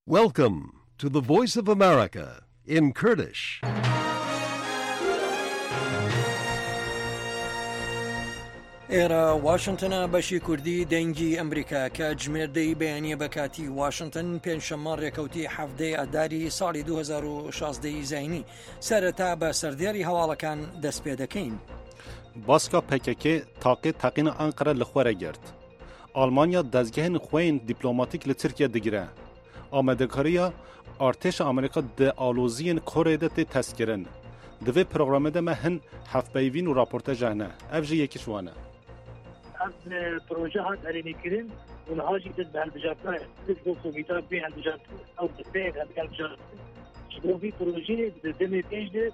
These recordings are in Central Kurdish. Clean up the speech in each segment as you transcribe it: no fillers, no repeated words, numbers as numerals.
Welcome to the Voice of America in Kurdish. ئێرە واشنتنە بەشی کوردی دەنگی ئەمریکا کاتژمێر دەی بەیانیە بە کاتی واشنتن پێنجشەممە ڕێکەوتی حەفتەی ئاداری ساڵی 2016 ی زینی سەرەتا بە سەردێڕی هەواڵەکان دەست پێ دەکەین. باسکا پکک تاقێ تەقینا ئەنقەرە li xwe re girt. Almanya dezgehên xwe yên dîplomatîk li Tirkiye digire. Amadekariya artêşa Amerîka di aloziyên Koreyê de tê testkirin. Di vê programê de me hin hevpeyvîn û raporte hene. Ev jî yekî ji wan e. Ev proje hat erênîkirin û niha jî dest bi hilbijartina ji bo komîta bê hilbijartin ew desteyek hilbijartin ji bo vî projeyê di demê pêş de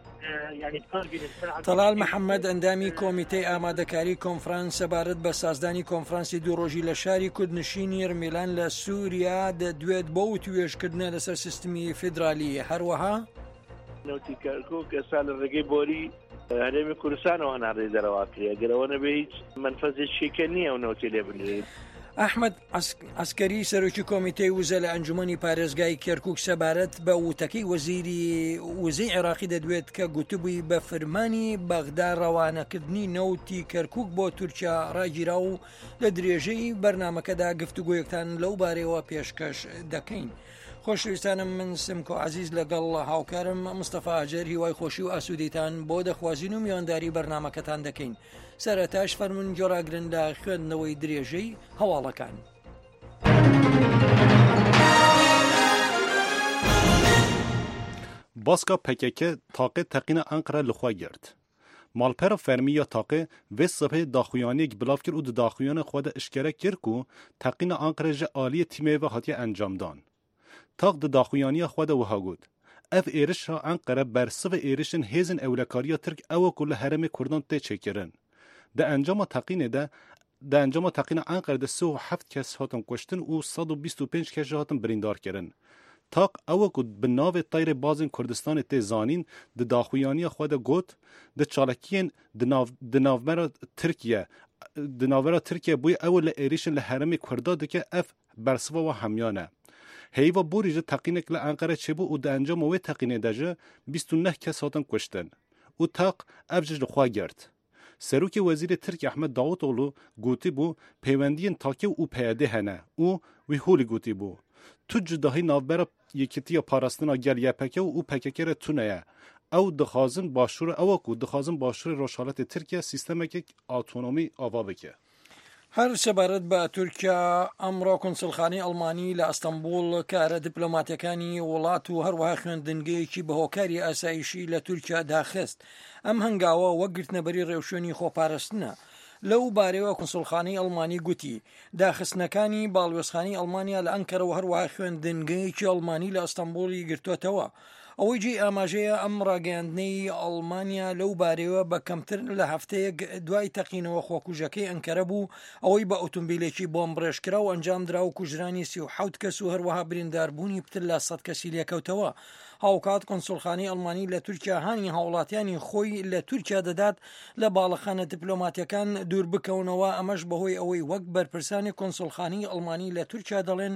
تەڵال محەممەد ئەندامی کۆمیتەی ئامادەکاری کۆنفرانس سەبارەت بە سازدانی کۆنفرانسی دوو ڕۆژی لە شاری کوردنشینی ڕمیلان لە سووریا دەدوێت بۆ وتوێژکردنە لەسەر سیستمی فیدرالی هەروەها نەوتی کەرکوک ئێستا لە ڕێگەی بۆری هەرێمی کوردستانەوە هەناردەی دەرەوە کرێ گەر ئەوە نەبێ هیچ مەنفەزێکی کە نییە و نەوتی لێ بنرێت. ئەحمەد عەسکەری سەرۆکی کۆمیتەی وزە لە ئەنجومەنی پارێزگای کەرکوک سەبارەت بە وتەکەی وەزیری وزەی عێراقی دەدوێت کە گوتبووی بە فرمانی بەغدا ڕەوانەکردنی نەوتی کەرکوک بۆ تورکیا ڕاگیرا و لە درێژەی بەرنمەکەدا گفتوگۆیەکتان لەو بارەیەوە پێشکەش دەکەین. خۆشەویستانم من سمکۆ عزیز لەگەڵ هاوکارم مستەفا ئاجەر هیوای خۆشی و ئاسوودەیتان بۆ دەخوازین و میوانداری بەرنمەکەتان دەکەین. سەرەتاش فەرموون گوێڕاگرن لە خوێندنەوەی درێژەی هەواڵەکان. Baska pkk taqê teqîna Enqere li xwe girt. Malpera fermî ya taqê vê sibehê daxuyaniyek bilav kir û di daxuyana xwe de eşkere kir ku teqîna Enqere ji aliyê tîmê ve hatiye encamdan. Taq di daxuyaniya xwe de wiha got, Ev êrişa Enqere bersivê êrişên hêzên ewlekariya Tirk ew e ku li herêmê Kurdan tê çêkirin. Di encama teqînê de di encama teqîna Enqere de 37 kes hatin kuştin û 125 kes jî hatin birîndarkirin. Taq ew e ku bi navê Teyrê Bazên Kurdistanê tê zanîn di daxuyaniya xwe de got, Di çalakiyên di nav di navbera Tirkiye di navbera Tirkiye bûye ew li êrişên li herêmê Kurda dike ev Bersiva wan hemyan e. Heyva borî ji teqînek li Enqere çêbû û di encama wê teqînê de ji 29 kes hatin kuştin. Û teq ev ji li xwe girt. Serokê Wezîrê Tirk Ahmet Davutoglu gotibû peywendiyên TAKê û PYDê hene û wî holî gotibû, Tu cudahî navbera Yekîtiya Parastina Gel YPK û pkk re tune ye. Ew dixwazin Başûrê ew e ku dixwazin Başûrê Rojhilatê Tirkiye sîstemeke autonomî ava bike. هەر سەبارەت بە تورکیا، ئەمڕۆ کونسوڵخانەی ئەڵمانی لە ئەستەنبوڵ کارە دیپلۆماتیەکانی وڵات و هەروەها خوێندنگەیەکی بە هۆکاری ئاسایشی لە تورکیا داخست. ئەم هەنگاوە وەک گرتنەبەری ڕێوشوێنی خۆپارستنە. لەو بارەیەوە کونسوڵخانەی ئەڵمانی گوتی، داخستنەکانی باڵوێزخانەی ئەڵمانیا لە ئەنکەرە و هەروەها خوێندنگەیەکی ئەڵمانی لە ئەستەنبوڵی گرتووەتەوە. ئەوەی جێی ئاماژەیە ئەم ڕاگەیاندنەی ئەڵمانیا لەو بارەیەوە بە کەمتر لە هەفتەیەک دوای تەقینەوە خۆکوژەکەی ئەنکەرە بوو ئەوەی بە ئۆتۆمبیلێکی بۆمبڕێژکراو ئەنجامدرا و کوژرانی 37 کەس و هەروەها برینداربوونی پتر لە 100 کەسی لێکەوتەوە. هاوکات کونسوڵخانەی ئەڵمانی لە تورکیا هانی هاوڵاتیانی خۆی لە تورکیا دەدات لە باڵەخانە دیپلۆماتیەکان دوور بکەونەوە ئەمەش بەهۆی ئەوەی وەک بەرپرسانی کونسوڵخانەی ئەڵمانی لە تورکیا دەڵێن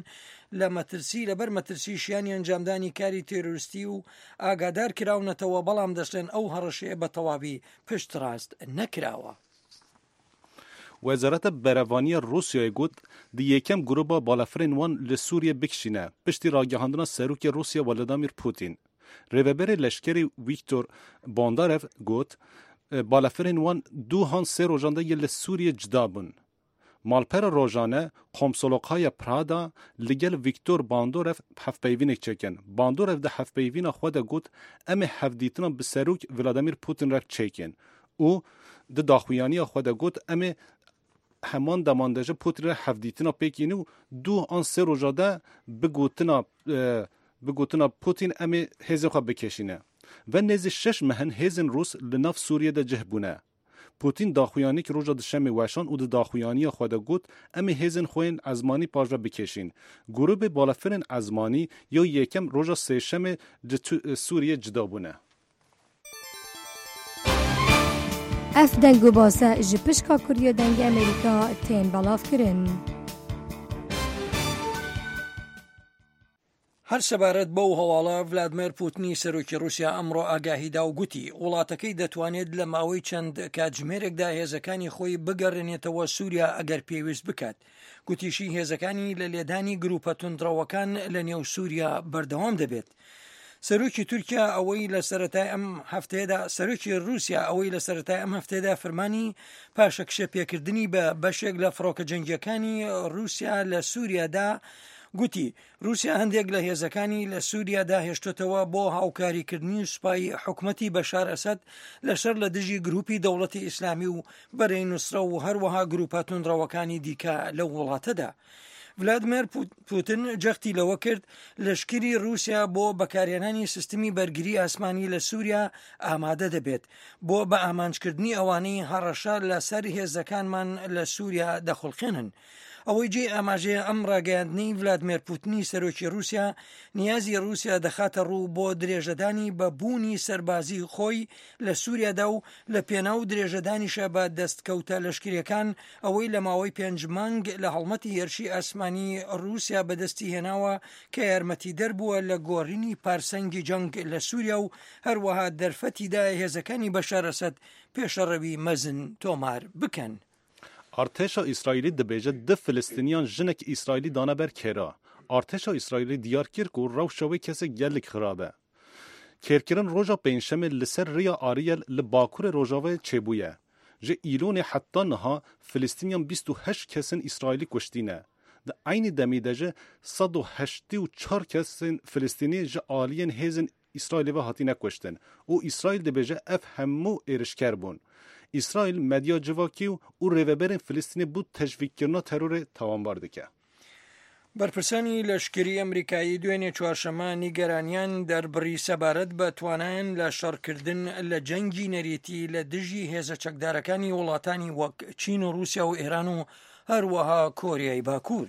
لە مەترسی لەبەر مەترسی شیانی ئەنجامدانی کاری تێرۆریستی و ئاگادار کراونەتەوە، بەڵام دەشڵێن ئەو هەڕەشەیە بە تەواوی پشتڕاست نەکراوە. Wezareta Berevaniya Rûsyayê got, di yekem grûba balafirên wan li Sûriyê bikişîne, piştî ragihandina Serokê Rûsya Vladimir Putin. Rêveberê leşkerê Wîktor Bondarev got, balafirên wan du han sê rojan de yê li Sûriyê cida bûn. Malpera rojane Komsolokhaya Prada li gel Viktor Bandorev hevpeyvînek çêkin. Bandorev di hevpeyvîna xwe de got em ê hevdîtina bi Serok Vladimir Putin re çêkin û di daxuyaniya xwe de got em ê heman deman de ji Putin re hevdîtina pêk înin û du an sê roja de bi gotina bi gotina Putin em ê hêzên xwe bikêşîne. Ve nêzî şeş meh in hêzên Rûs li nav Sûriyê de cih bûne. Pûtîn daxuyanîk roja duşemê weşand û di daxuyaniya xwe de got, Em ê hêzên xwe yên ezmanî paş ve bikêşîn. Grûbê balafirên ezmanî ya yekem roja sêşemê ji Sûriyê cida bûne. Ev deng û base ji pişka Kurdiya Dengê Amerîka tên belavkirin. هەر سەبارەت بەو هەواڵە، ڤلادمێر پوتنی سەرۆکی ڕووسیا ئەمڕۆ ئاگاهی دا و گوتی، وڵاتەکەی دەتوانێت لە ماوەی چەند کاتژمێرێکدا هێزەکانی خۆی بگەڕێنێتەوە سووریا ئەگەر پێویست بکات. گوتیشی هێزەکانی لە لێدانی گروپە توندڕەوەکان لە نێو سووریا بەردەوام دەبێت. سەرۆکی تورکیا ئەوەی لە سەرەتای ئەم هەفتەیەدا سەرۆکی رووسیا ئەوەی لە سەرەتای ئەم هەفتەیەدا فرمانی پاشەکشە پێکردنی بە بەشێک لە فڕۆکە جەنگیەکانی رووسیا لە سووریادا گوتی رووسیا هەندێک لە هێزەکانی لە سووریادا هێشتۆتەوە بۆ هاوکاریکردنی سوپای حکومەتی بەشار ئەسەد لە شەر لە دژی گروپی دەوڵەتی ئیسلامی و بەرەی نوسرە و هەروەها گروپە توندڕەوەکانی دیکە لەو وڵاتەدا. ڤلادیمێر پوتن جەختی لەوە کرد لەشکری رووسیا بۆ بەکارهێنانی سیستمی بەرگری ئاسمانی لە سووریا ئامادە دەبێت بۆ بە ئامانجکردنی ئەوانەی هەڕەشە لەسەر هێزەکانمان لە سووریا دەخوڵقێنن. ئەوەی جێی ئاماژەیە ئەم ڕاگەیاندنەی ڤلادمێر پوتنی سەرۆکی رووسیا نیازی رووسیا دەخاتە ڕوو بۆ درێژەدانی بە بوونی سەربازی خۆی لە سووریادا و لە پێناو درێژەدانیشە بە دەستکەوتە لەشکریەکان ئەوەی لە ماوەی پێنج مانگ لە هەڵمەتی هێرشی ئاسمانی رووسیا بەدەستی هێناوە کە یارمەتیدەر بووە لە گۆڕینی پارسەنگی جەنگ لە سووریا و هەروەها دەرفەتی دایە هێزەکانی بەشار ئەسەد پێشەڕەوی مەزن تۆمار بکەن. Artêşa Îsraîlî dibêje du Filistîniyan jinek Îsraîlî dane ber kêra. Artêşa Îsraîlî diyar kir ku rewşa wê kesê gelek xirab e. Kêrkirin roja pêncşemê li ser rêya Ariel li bakurê rojavayê çêbûye. Ji Îlonê heta niha Filistîniyan 28 kesên Îsraîlî kuştîne. Di eynî demî de ji 184 kesên Filistînî ji aliyên hêzên Îsraîlê ve hatine kuştin û Îsraîl dibêje ev hemû êrişker bûn. Îsraîl medya civakî û rêveberên Filistînê bo teşvîkkirina terorê tawanbar dike. بەرپرسانی لەشکری ئەمریکایی دوێنێ چوارشەممە نیگەرانیان دەربڕی سەبارەت بە توانایان لە شەڕکردن لە جەنگی نەریتی لە دژی هێزە چەکدارەکانی وڵاتانی وەک چین و رووسیا و ئێران و هەروەها کۆریای باکوور.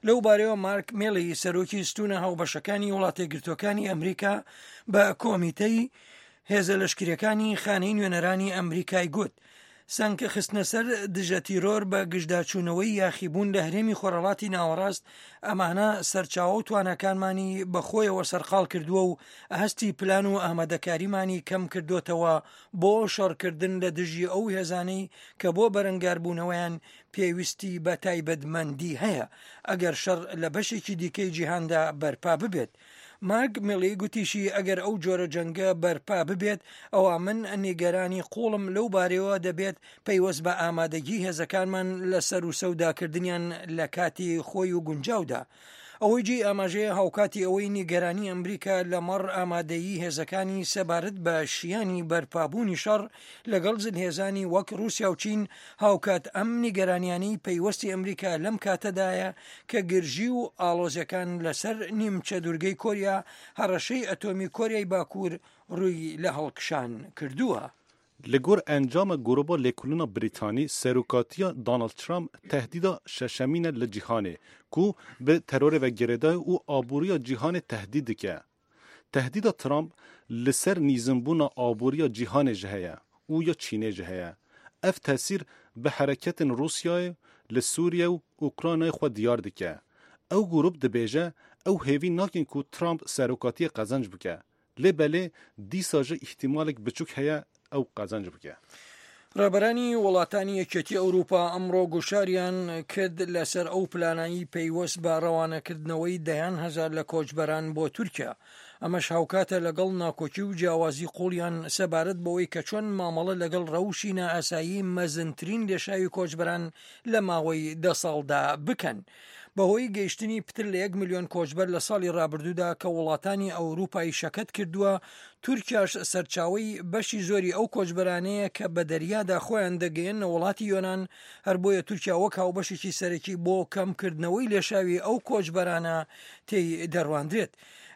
لەو بارەیەوە مارک مێلی سەرۆکی ستونە هاوبەشەکانی وڵاتەیەکگرتووەکانی ئەمریکا بە کۆمیتەی هێزە لەشکریەکانی خانەی نوێنەرانی ئەمریکای گوت سەنگ خستنە سەر دژە تیرۆر بە گژداچوونەوەی یاخیبوون لە هەرێمی خۆرهەڵاتی ناوەڕاست ئەمانە سەرچاوە و تواناکانمانی بەخۆیەوە سەرقاڵ کردووە و هەستی پلان و ئامادەکاریمانی کەم کردوتەوە بۆ شەڕکردن لە دژی ئەو هێزانەی کە بۆ بەرەنگاربوونەوەیان پێویستی بە تایبەتمەندی هەیە ئەگەر شەڕ لە بەشێکی دیکەی جیهاندا بەرپا ببێت. مارک میلی گوتیشی ئەگەر ئەو جۆرە جەنگە بەرپا ببێت ئەوا من نیگەرانی قوڵم لەو بارەیەوە دەبێت پەیوەست بە ئامادەگی هێزەکانمان لە سەروسەوداکردنیان لە کاتی خۆی و گونجاودا. ئەوەی جێی ئاماژەیە هاوکاتی ئەوەی نیگەرانی ئەمریکا لەمەڕ ئامادەیی هێزەکانی سەبارەت بە شیانی بەرپابوونی شەڕ لەگەڵ زلهێزانی وەک ڕووسیا و چین، هاوکات ئەم نیگەرانیانەی پەیوەستی ئەمریکا لەم کاتەدایە کە گرژی و ئاڵۆزیەکان لەسەر نیمچە دوورگەی کۆریا هەڕەشەی ئەتۆمی کۆریای باکوور ڕووی لە هەڵکشان کردووە. Li gor encama grûba lêkolîna Brîtanî, serokatiya Donald Trump tehdîda şeşemîn e li cîhanê ku bi terorê ve girêdaye û aboriya cîhanê tehdîd dike. Tehdîda Trump li ser nîzimbûna aboriya cîhanê jî heye û ya Çînê jî heye. Ev tesîr bi hereketên Rûsyayê li Sûriye û Ukraynayê xwe diyar dike. Ew grûp dibêje ew hêvî nakin ku Trump serokatiyê qezenc bike. Lê belê dîsa jî îhtîmalek biçûk heye ew qezenc bike. ڕابەرانی وڵاتانی یەکێتی ئەوروپا ئەمڕۆ گوشاریان کرد لەسەر ئەو پلانەی پەیوەست بە ڕەوانەکردنەوەی دەیان هەزار لە کۆچبەران بۆ تورکیا. ئەمەش هاوکاتە لەگەڵ ناکۆکی و جیاوازی قوڵیان سەبارەت بەوەی کە چۆن مامەڵە لەگەڵ ڕەوشی نائاسایی مەزنترین لێشاوی کۆچبەران لە ماوەی دە ساڵدا بکەن. بەهۆی گەیشتنی پتر لە یەک ملیۆن کۆچبەر لە ساڵی ڕابردوودا کە وڵاتانی ئەوروپای شەکەت کردووە، تورکیاش سەرچاوەی بەشی زۆری ئەو کۆچبەرانەیە کە بە دەریادا خۆیان دەگەیەننە وڵاتی یۆنان، هەر بۆیە تورکیا وەک هاوبەشێکی سەرەکی بۆ کەمکردنەوەی لێشاوی ئەو کۆچبەرانە تێی دەڕواندرێت.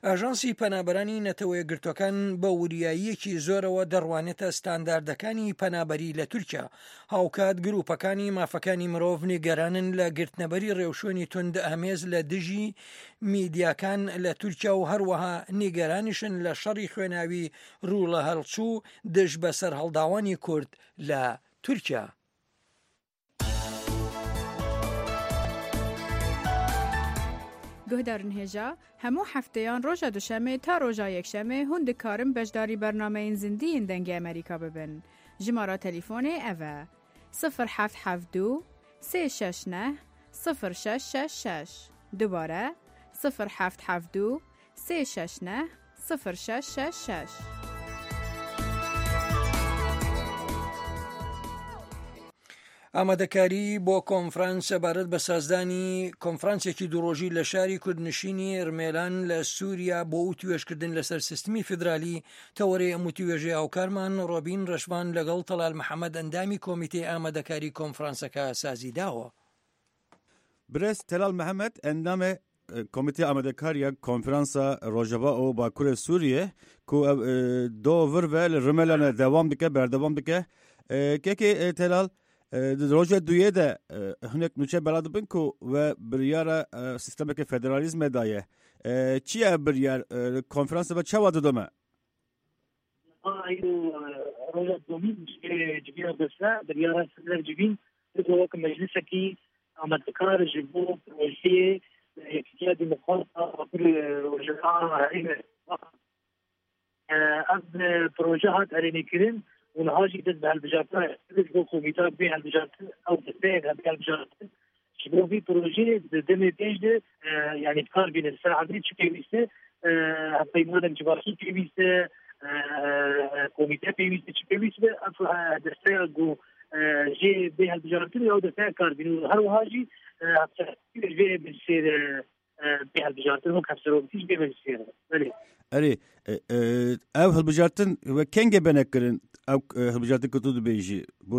ئاژانسی پەنابەرانی نەتەوەیەکگرتووەکان بە وریاییەکی زۆرەوە دەڕوانێتە ستانداردەکانی پەنابەری لە تورکیا، هاوکات گروپەکانی مافەکانی مرۆڤ نیگەرانن لە گرتنەبەری ڕێوشوێنی توندئامێز لە دژی میدیاکان لە تورکیا و هەروەها نیگەرانیشن لە شەڕی خوێناوی ڕوولەهەڵچوو دژ بە سەرهەڵداوانی کورد لە تورکیا. Guhdarên hêja, hemû hefteyan roja duşemê ta roja yekşemê hûn dikarin beşdarî bernameyên zindî yên Dengê Amerîka bibin. Jimara telîfonê ev e, 0772 369 0666. Dubare, 0772 369 0666. ئامادەکاری بۆ کۆنفرانس سەبارەت بە سازدانی کۆنفرانسێکی دووڕۆژی لە شاری کوردنشینی ڕمێلان لە سووریا بۆ وتوێژکردن لەسەر سیستمی فیدرالی تەوەرەی ئەم وتوێژەی هاوکارمان ڕۆبین ڕەشڤان لەگەڵ تەلال محەمەد ئەندامی کۆمیتەی ئامادەکاری کۆنفرانسەکە سازی داوە. برێز تەلال محەمەد ئەندامێ کۆمیتەی ئامادەکار ya konferansa Rojava û Bakurê Sûriyê ku ev do vir ve li Rimelane dewam dike berdewam dike. Kekê Telal di roja duyê de hinek nûçe bela dibin ku we biryara sîstemeke federalîzmê daye. Çi ye ev biryar? Konferansa ve çawa didome? Roja domîn civîna deste biryara ser civîn bibe wek meclisekî amadekar ji bo projeyê Yekîtiya Demokrat a Bakurê Rojava Herêmê. Ev proje hat erênîkirin û niha jî dest bi hilbijartina ji bo komîta bê hilbijartin ew desteyek bê hilbijartin Ji bo vî projeyê di demê pêş de yanî bi kar bînin ser erdê çi pêwîst e, hevpeymanek civakî pêwîst e, komîte pêwîst e, çi pêwîst be ev desteya ku jê bê hilbijartin ew desteya kar bînin û her wiha jî hevserokî ji vê meclisê re bê hilbijartin wek hevserokî ji vê meclisê re. Belê. Erê ev hilbijartin we kengê bene kirin ew hilbijartin ku tu dibêjî bo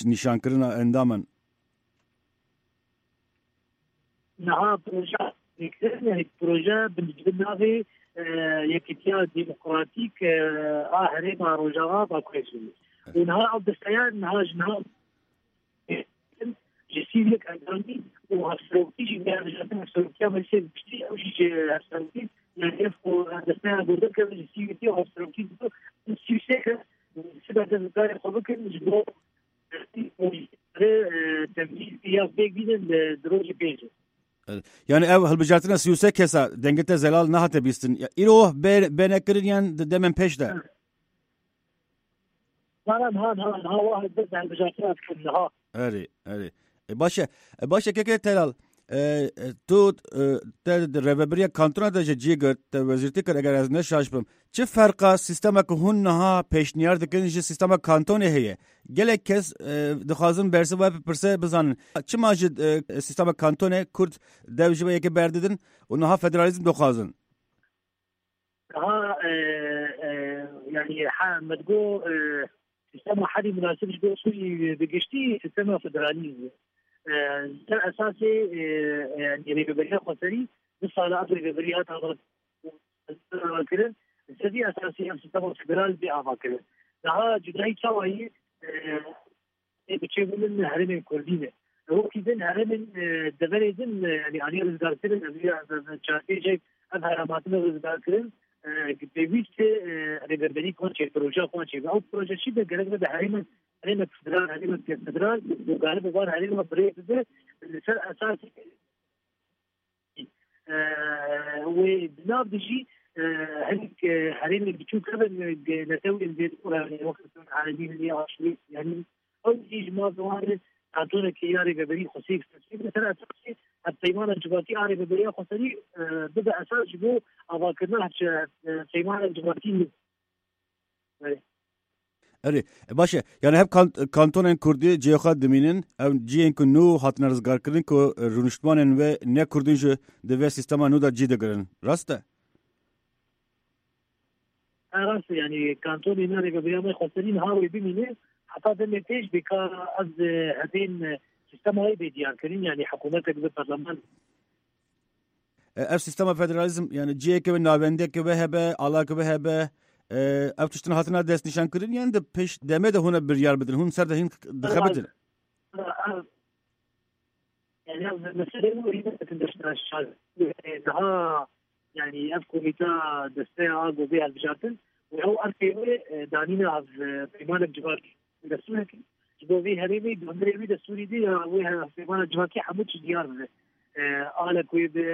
nîşankirina endaman? Niha proje yani proje bi navê Yekîtiya Demokratîk a Herêma Rojava Bakurê Sûriyê. Û niha ew desteya niha ji niha ji 31 endamî û hevserokî jî bê hilbijartin hevserokiya meclisê giştî ew jî ji hevserokî yani ev ku desteya ku derkeve ji 31 û hevserokî 33 kes sibe dest bi karê xwe bikin ji bo Yani ev hilbijartina 33 kesa dengê te zelal nehate bîstin. Îro bêne kirin yan di demên pêş de? Erê erê. Baş e. Baş e keke Telal. Tu te di rêveberiya kantona de ji cî girt, te wezîrtî kir eger ez ne şaş bim. Çi ferqa sîstema ku hûn niha pêşniyar dikin ji sîstema kantonê heye? Gelek kes dixwazin bersiva bipirse bizanin. Çima ji sîstema kantonê Kurd dev ji wê yekê berdidin û niha federalîzm dixwazin? Niha yanî me digot sîstema herî munasib ji bo Sûriyê bi giştî sîstema federalîzm e. Ser esasê yanî rêveberiya xweserî du sal ev rêveberî hat avakirin. Li ser vî esasî ev sîstema federal bê avakirin. Niha cudayî çawa yê Ê bi çêbûnin herêmên Kurdî ne. Wekî din herêmên deverê din yanî aliyê rizgarkirin ev çarpêjek ev herêm hatine rizgarkirin pêwîst e rêveberî wan çê proje xwe çêbe. Ew proje çi be gerek bibe herêmek herêmek federal herêmek federal û garibe van herêma birê bibe li ser esasê Wê di nav de jî hinek herêmên biçûk hebin netewên zêde wek erebî hene aşûrî yanî ew jî ji mafê wan re kantonekê ya rêveberî xweserî li ser esasê hevpeymana civakî a rêveberiya xweserî bibe esas ji bo avakirina hevpeymana civakî nû. Erê, baş e. Yani hev kantonên Kurdî cihê xwe dimînin, ew cihên ku nû hatine rizgarkirin ku rûniştvanên wê ne Kurdîn jî di vê sîstema nû de cî digirin. Rast e? Rast e. Yani kantonê me rêveberiya me xweserî niha wê bimîne heta demê pêş bê ka ez hebên sîstema wê bê diyarkirin yani hikûmetek bi parleman Ev sîstema federalîzm yani ciheke ve navendeke ve hebe, alake ve hebe ev tiştin hatine destnîşankirin yan di pêş demê de hûn biryar bidin, hûn ser de hîn dixebitin. Yani ev meselê niha yani ev komîta desteya a ku bê hilbijartin û ew erkê wê danîna peymanek civakî destûrekî ji bo vê herêmê di hundirê wî destûrî de ya wê hevpeymana civakî hemû tişt diyar bibe. Alek wê be,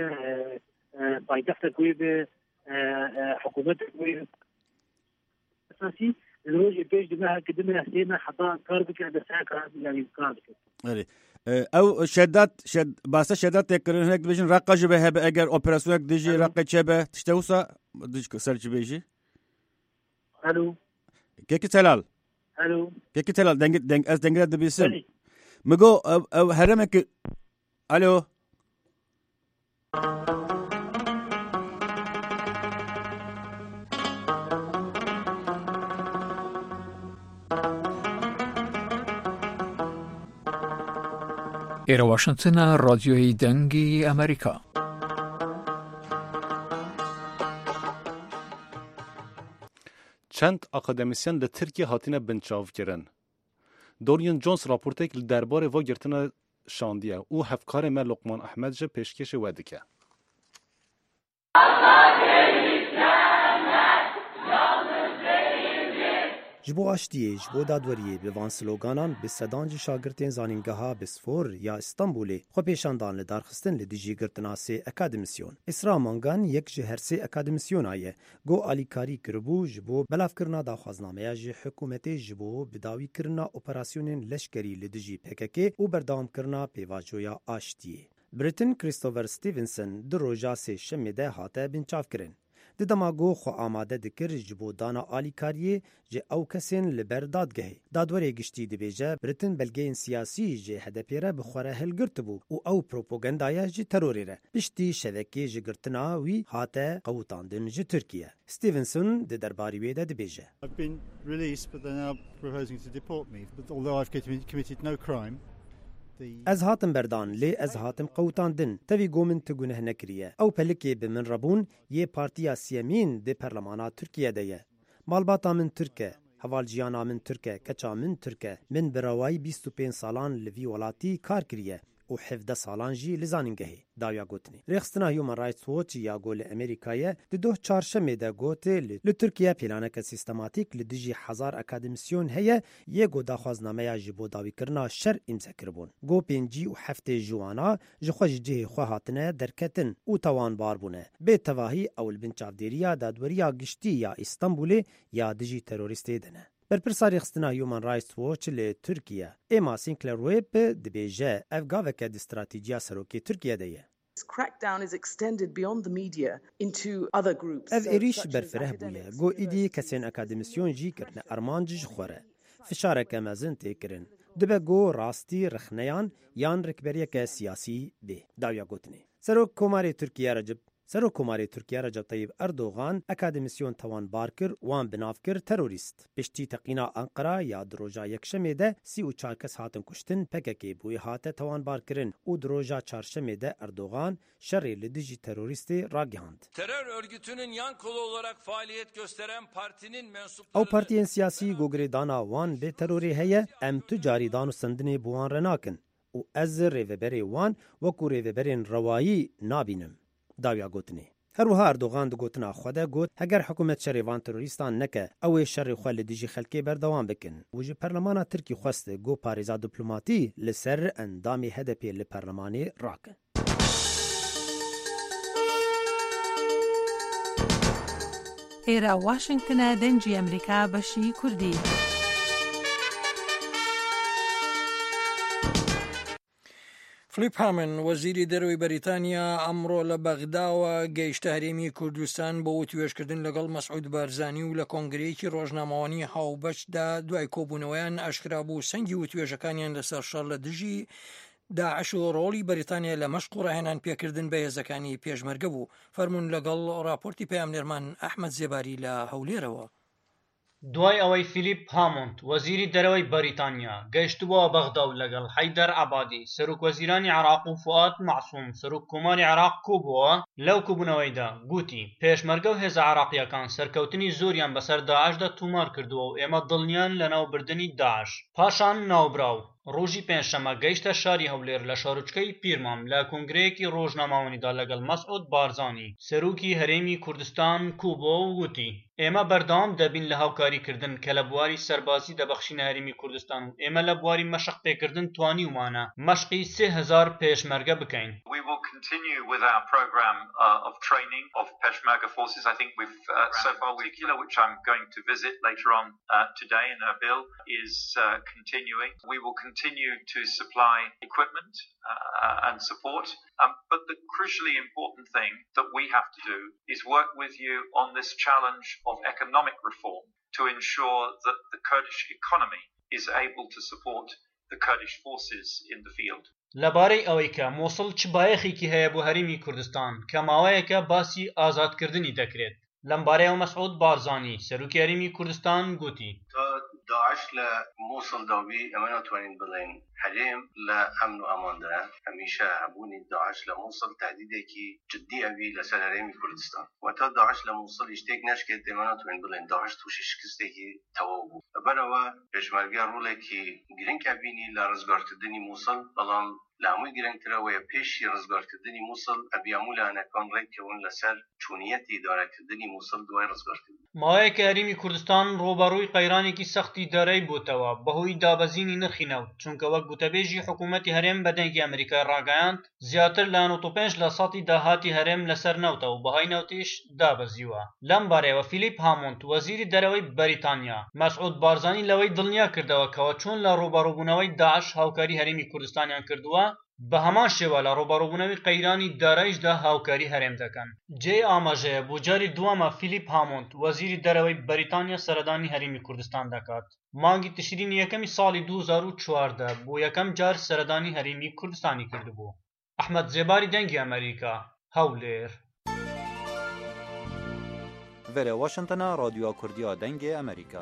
paytextek wê be, hikûmetek wê be. Esasî li rojê pêş di meheke di meh sê meh heta kar bike desteya kar yanî kar dike. Erê. Ew şedat şed basa şedat tê kirin hinek dibêjin reqa ji be hebe eger operasyonek dijî reqê çebe tişte wisa ser çi bêjî? Alo. Keki Telal. Alo. Keki Telal deng deng ez dengre dibîsim. Mi go ew ew heremeke Alo. ئێرە واشنتنە ڕادیۆی دەنگی ئەمریکا. Çend akademisyen li Tirkiye hatine binçavkirin. Dorian Jones raportek li derbarê va girtina şandiye û hevkarê me Lokman Ehmed ji pêşkêşê we dike. Ji bo aştiyê, ji bo dadweriyê bi van sloganan bi sedan ji şagirtên Zanîngeha Bosfor ya Îstanbulê xwepêşandan li dar xistin li dijî girtina sê akademisyon. Îsra Mangan yek ji her sê akademisyona ye ku alîkarî kiribû ji bo belavkirina daxwaznameya ji hikûmetê ji bo bidawîkirina operasyonên leşkerî li dijî pkk û berdewamkirina pêvajoya aştiyê. Britain Christopher Stevenson di roja sêşemê de hate binçavkirin. Di dema ku xwe amade dikir ji bo dana alîkariyê ji ew kesên li ber dadgehê. Dadwerê giştî dibêje Britain belgeyên siyasî ji HDP'ê re bi xwe re hilgirtibû û ew propagandaya ji terorê re. Piştî şevekê ji girtina wî hate qewitandin ji Tirkiye. Stevenson di derbarî wê de dibêje. I've been released but they're now proposing to deport me but although I've committed no crime the. Ez hatim berdan lê ez hatim qewitandin. Tevî ku min ti guneh nekiriye. Ew pelikê bi min re bûn yê partiya siyemîn di perlemana Tirkiye de ye. Malbata min Tirk e, hevalciyana min Tirk e, keça min Tirk e. Min bi rewayî 25 salan li vî welatî kar kiriye û 17 salan jî li zanîngehê. Dawiya gotinê. Rêxistina Human Rights Watch ya ku li Amerîka ye di doh çarşemê de got li Tirkiye pêlaneke sîstematîk li dijî hezar akademisyon heye yê ku daxwaznameya ji bo dawîkirina şer îmze kiribûn. Got 57 ji wana ji xwe ji cihê xwe hatine derketin û tawanbar bûne. Bê tevahî ew li bin çavdêriya Dadweriya Giştî ya Îstanbulê ya dijî terorîstê de ne. Berpirsa rêxistina Human Rights Watch li Tirkiye Emma Sinclair Webb dibêje ev gaveke di stratîjiya serokê Tirkiye de ye. Ev êrîş berfireh bûye ku êdî kesên akademisyon jî kirine armanc ji xwe re. Fişareke mezin tê kirin. Dibe ku rastî rexneyan yan rikberiyeke siyasî bê. Dawiya gotinê. Serok Komarê Tirkiye Recep Serok Komarê Tirkiye Recep Tayyip Erdogan akademisyon tawanbar kir wan bi nav kir terorîst. Piştî teqîna Enqera ya di roja yekşemê de 34 kes hatin kuştin PKK bûyê hate tawanbarkirin û di roja çarşemê de Erdogan şerê li dijî terorîstê ragihand. Terör örgütünün yan kolu olarak faaliyet gösteren partinin mensuplarını Ew partiyên siyasî ku girêdana wan bi terorê heye em tu carî danûstandinê bi wan re nakin û ez rêveberê wan wekû rêveberên rewayî nabînim. Dawiya gotinê. Her wiha Erdogan di gotina xwe de got heger hikûmet şerê van terorîstan neke ew ê şerê xwe li dijî xelkê berdewam bikin û ji perlemana Tirkî xwest ku parêza diplomatî li ser endamê HDP'ê li perlemanê rakin. ئێرە واشنگتنە دەنگی ئەمریکا بەشی کوردی. فلیپ هامن وەزیری دەرەوەی بەریتانیا ئەمڕۆ لە بەغداوە گەیشتە هەرێمی کوردستان بۆ وتوێژکردن لەگەڵ مەسعود بارزانی و لە کۆنگرەیەکی ڕۆژنامەوانی هاوبەشدا دوای کۆبوونەوەیان ئاشکرا بوو سەنگی وتوێژەکانیان لەسەر شەڕ لە دژی داعش و ڕۆڵی بەریتانیا لە مەشق و ڕاهێنان پێکردن بە هێزەکانی پێشمەرگە بوو. فەرموون لەگەڵ ڕاپۆرتی پەیامنێرمان ئەحمەد زێباری لە هەولێرەوە. دوای ئەوەی فیلیپ هامۆند، وەزیری دەرەوەی بەریتانیا، گەیشتبووە بەغدا و لەگەڵ حەیدەر عەبادی، سەرۆکوەزیرانی عێراق و فوئاد مەعسوم، سەرۆککۆماری عێراق کۆبووەوە، لەو کۆبوونەوەیدا گوتی، پێشمەرگە و هێزە عێراقییەکان سەرکەوتنی زۆریان بەسەر داعشدا تۆمار کردووە و ئێمە دڵنیان لەناوبردنی داعش. پاشان ناوبراو. ڕۆژی پێنجشەممە گەیشتە شاری هەولێر لە شارۆچکەی پیرمام لە کۆنگرەیەکی ڕۆژنامەوانیدا لەگەڵ مەسعود بارزانی سەرۆکی هەرێمی کوردستان کۆبووەوە و وتی، ئێمە بەردەوام دەبین لە هاوکاریکردن کە لە بواری سەربازی دەبەخشینە هەرێمی کوردستان و ئێمە لە بواری مەشق پێکردن توانیومانە مەشقی 3000 پێشمەرگە بکەین. We will continue with our program of training of Peshmerga forces. I think we've so far we which I'm going to visit later on today in Erbil is continuing. We will continue to supply equipment and support. But the crucially important thing that we have to do is work with you on this challenge of economic reform to ensure that the Kurdish economy is able to support the Kurdish forces in the field. لەبارەی ئەوەی کە موسڵ چ بایەخێکی هەیە بۆ هەرێمی کوردستان کە ماوەیەکە باسی ئازادکردنی دەکرێت، لەمبارەیەوە مەسعود بارزانی، سەرۆکی هەرێمی کوردستان گوتی. تا داعش لە موسڵدا بی ئێمە ناتوانین بڵێین هەرێم لە ئەمن و ئەماندایە، هەمیشە هەبوونی داعش لە موسڵ تەهدیدێکی جدی ئەبی لەسەر هەرێمی کوردستان و تا داعش لە موسڵیش تێک نەشکێت ئێمە ناتوانین بڵێین داعش تووشی شکستێکی تەواو بوو. لەبەرئەوە پێشمەرگە ڕۆڵێکی گرنگ ئەبینی لە ڕزگارکردنی موسڵ، بەڵام لە هەمووی گرنگتر ئەوەیە پێشی ڕزگارکردنی موسڵ ئەبی هەموو لایەنەکان ڕێککەون لەسەر چۆنیەتی ئیدارەکردنی موسڵ دوای ڕزگارکردنی. ماوەیەکە هەرێمی کوردستان ڕووبەڕووی قەیرانێکی سەختی دارایی بۆتەوە بەهۆی دابەزینی نرخی نەوت، چونکە وەک گوتەبێژی حکوومەتی هەرێم بە دەنگی ئەمریکای ڕاگەیاند، زیاتر لە 95 لە سەتی داهاتی هەرێم لەسەر نەوتە و بەهای نەوتیش دابەزیوە. لەم بارەیەوە فیلیپ هامۆند وەزیری دەرەوەی بەریتانیا، مەسعود بارزانی لەوەی دڵنیا کردەوە کەوا چۆن لە ڕووبەڕووبوونەوەی داعش هاوکاری هەرێمی کوردستانیان کردووە، بە هەمان شێوە لە ڕووبەڕووبوونەوەی قەیرانی داراییشدا هاوکاری هەرێم دەکەن. جێی ئاماژەیە بۆ جاری دووەمە فیلیپ هامۆند وەزیری دەرەوەی بەریتانیا سەردانی هەرێمی کوردستان دەکات. مانگی تشرینی یەکەمی ساڵی 2014 بۆ یەکەم جار سەردانی هەرێمی کوردستانی کردبوو. ئەحمەد زێباری دەنگی ئەمەریکا، هەولێر. Vere Washingtona Radyoya Kurdî a Dengê Amerîka.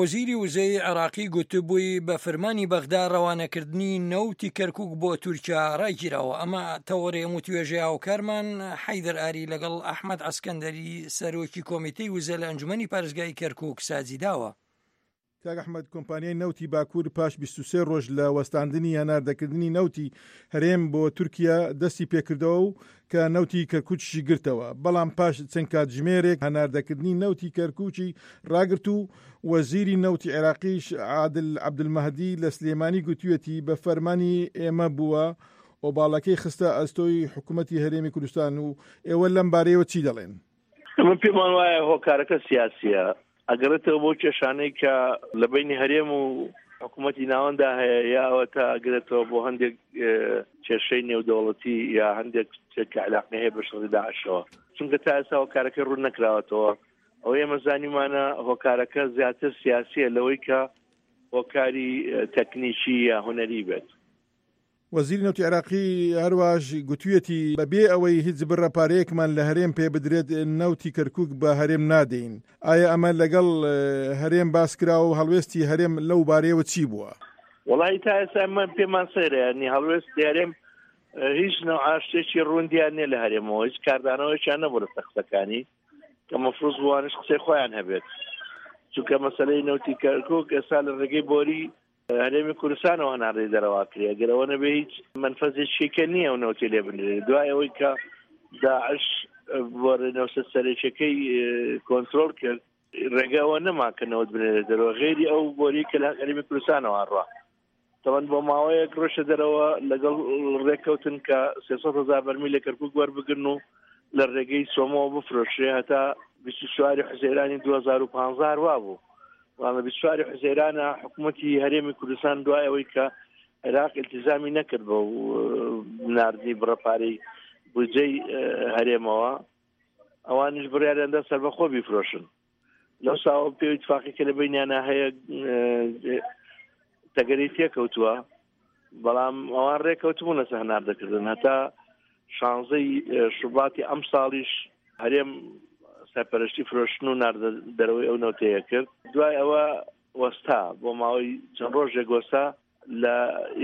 وەزیری وزەی عێراقی گوتبووی بە فرمانی بەغدا رەوانەکردنی نەوتی کەرکوک بۆ تورکیا راگیراوە ئەمە تەوەرەی ئەم وتوێژەی هاوکارمان حەیدەر ئاری لەگەڵ ئەحمەد عەسکەندەری سەرۆکی کۆمیتەی وزە لە ئەنجومەنی پارێزگای کەرکوک سازیداوە. کاک ئەحمەد، کۆمپانیای نەوتی باکوور پاش 23 ڕۆژ لە وەستاندنی هەناردەکردنی نەوتی هەرێم بۆ تورکیا دەستی پێکردەوە و کە نەوتی کەرکووکیشی گرتەوە، بەڵام پاش چەند کاتژمێرێک هەناردەکردنی نەوتی کەرکووکی ڕاگرت و وەزیری نەوتی عێراقیش عادل عەبدولمەهدی لە سلێمانی گوتویەتی بە فەرمانی ئێمە بووە ئۆباڵەکەی خستە ئەستۆی حکومەتی هەرێمی کوردستان و ئێوە لەم بارەیەوە چی دەڵێن؟ من پێمان وایە هۆکارەکە سیاسیە ئەگەڕێتەوە بۆ کێشانەی کە لە بینی هەرێم و حکوومەتی ناوەندا هەیە یا ئەوە تا ئەگرێتەوە بۆ هەندێک کێشەی نێودەوڵەتی یا هەندێک شتێک کە علاقی هەیە بە شەڕی داعشەوە چونکە تا ئێستا هۆکارەکە ڕوون نەکراوەتەوە ئەو ئێمە زانیمانە هۆکارەکە زیاتر سیاسیە لەوەی کە هۆکاری تەکنیکی یا هونەری بێت. وەزیری نەوتی عێراقی هەرواش گوتویەتی، بەبێ ئەوەی هیچ بڕە پارەیەکمان لە هەرێم پێ بدرێت نەوتی کەرکوک بە هەرێم نادەین. ئایا ئەمە لەگەڵ هەرێم باس کراوە و هەڵوێستی هەرێم لەو بارەیەوە چی بووە؟ وەڵاهی تا ئێستا ئەمە پێمان سەیرە یانی هەڵوێستی هەرێم هیچ نەوعە شتێکی ڕوون دیار نییە لە هەرێمەوە هیچ کاردانەوەیەکیان نەبوو لەسەر قسەکانی کە مەفروز بووانش قسەی خۆیان هەبێت چونکە مەسەلەی نەوتی کەرکوک ئێستا لە ڕێگەی بۆری هەرێمی کوردستانەوە هەناردەی دەرەوە کرێ ئەگەر ئەوە نەبێ هیچ مەنفەزێکی کە نییە و نەوتی لێ بنرێت دوای ئەوەی کە داعش بۆ نەوسە سەرەکیەکەی کۆنترۆل کرد ڕێگە ئەوە نەما کە نەوت بنێرێت دەرەوە غێری ئەو بۆری کە لە هەرێمی کوردستانەوە ڕوا تەوان بۆ ماوەیەک ڕۆشە دەرەوە لەگەڵ ڕێککەوتن کە 300 هزار بەرمیل لە کەرکوک وەربگرن و لە ڕێگەی سۆمەوە بفرۆشرێ هەتا 24 حوزەیرانی 2015 هەروا بوو بەڵام لە 24 حوزەیرانە حکوومەتی هەرێمی کوردستان دوای ئەوەی کە عێراق التزامی نەکرد بە ناردنی بڕە پارەی بودجەی هەرێمەوە ئەوانیش بڕیاریاندا سەربەخۆ بیفرۆشن لەو ساوە پێ اتفاقی کە لە بینیانە هەیە تەگەری تێکەوتووە بەڵام ئەوان ڕێکەوتبوون لەسەر هەناردەکردن هەتا شانزەی شوباتی ئەم ساڵیش هەرێم سەرپەرشتی فرۆشتن و ناردە دەرەوەی ئەو نەوتەیە کرد دوای ئەوە وەستا بۆ ماوەی چەند ڕۆژێک وەستا لە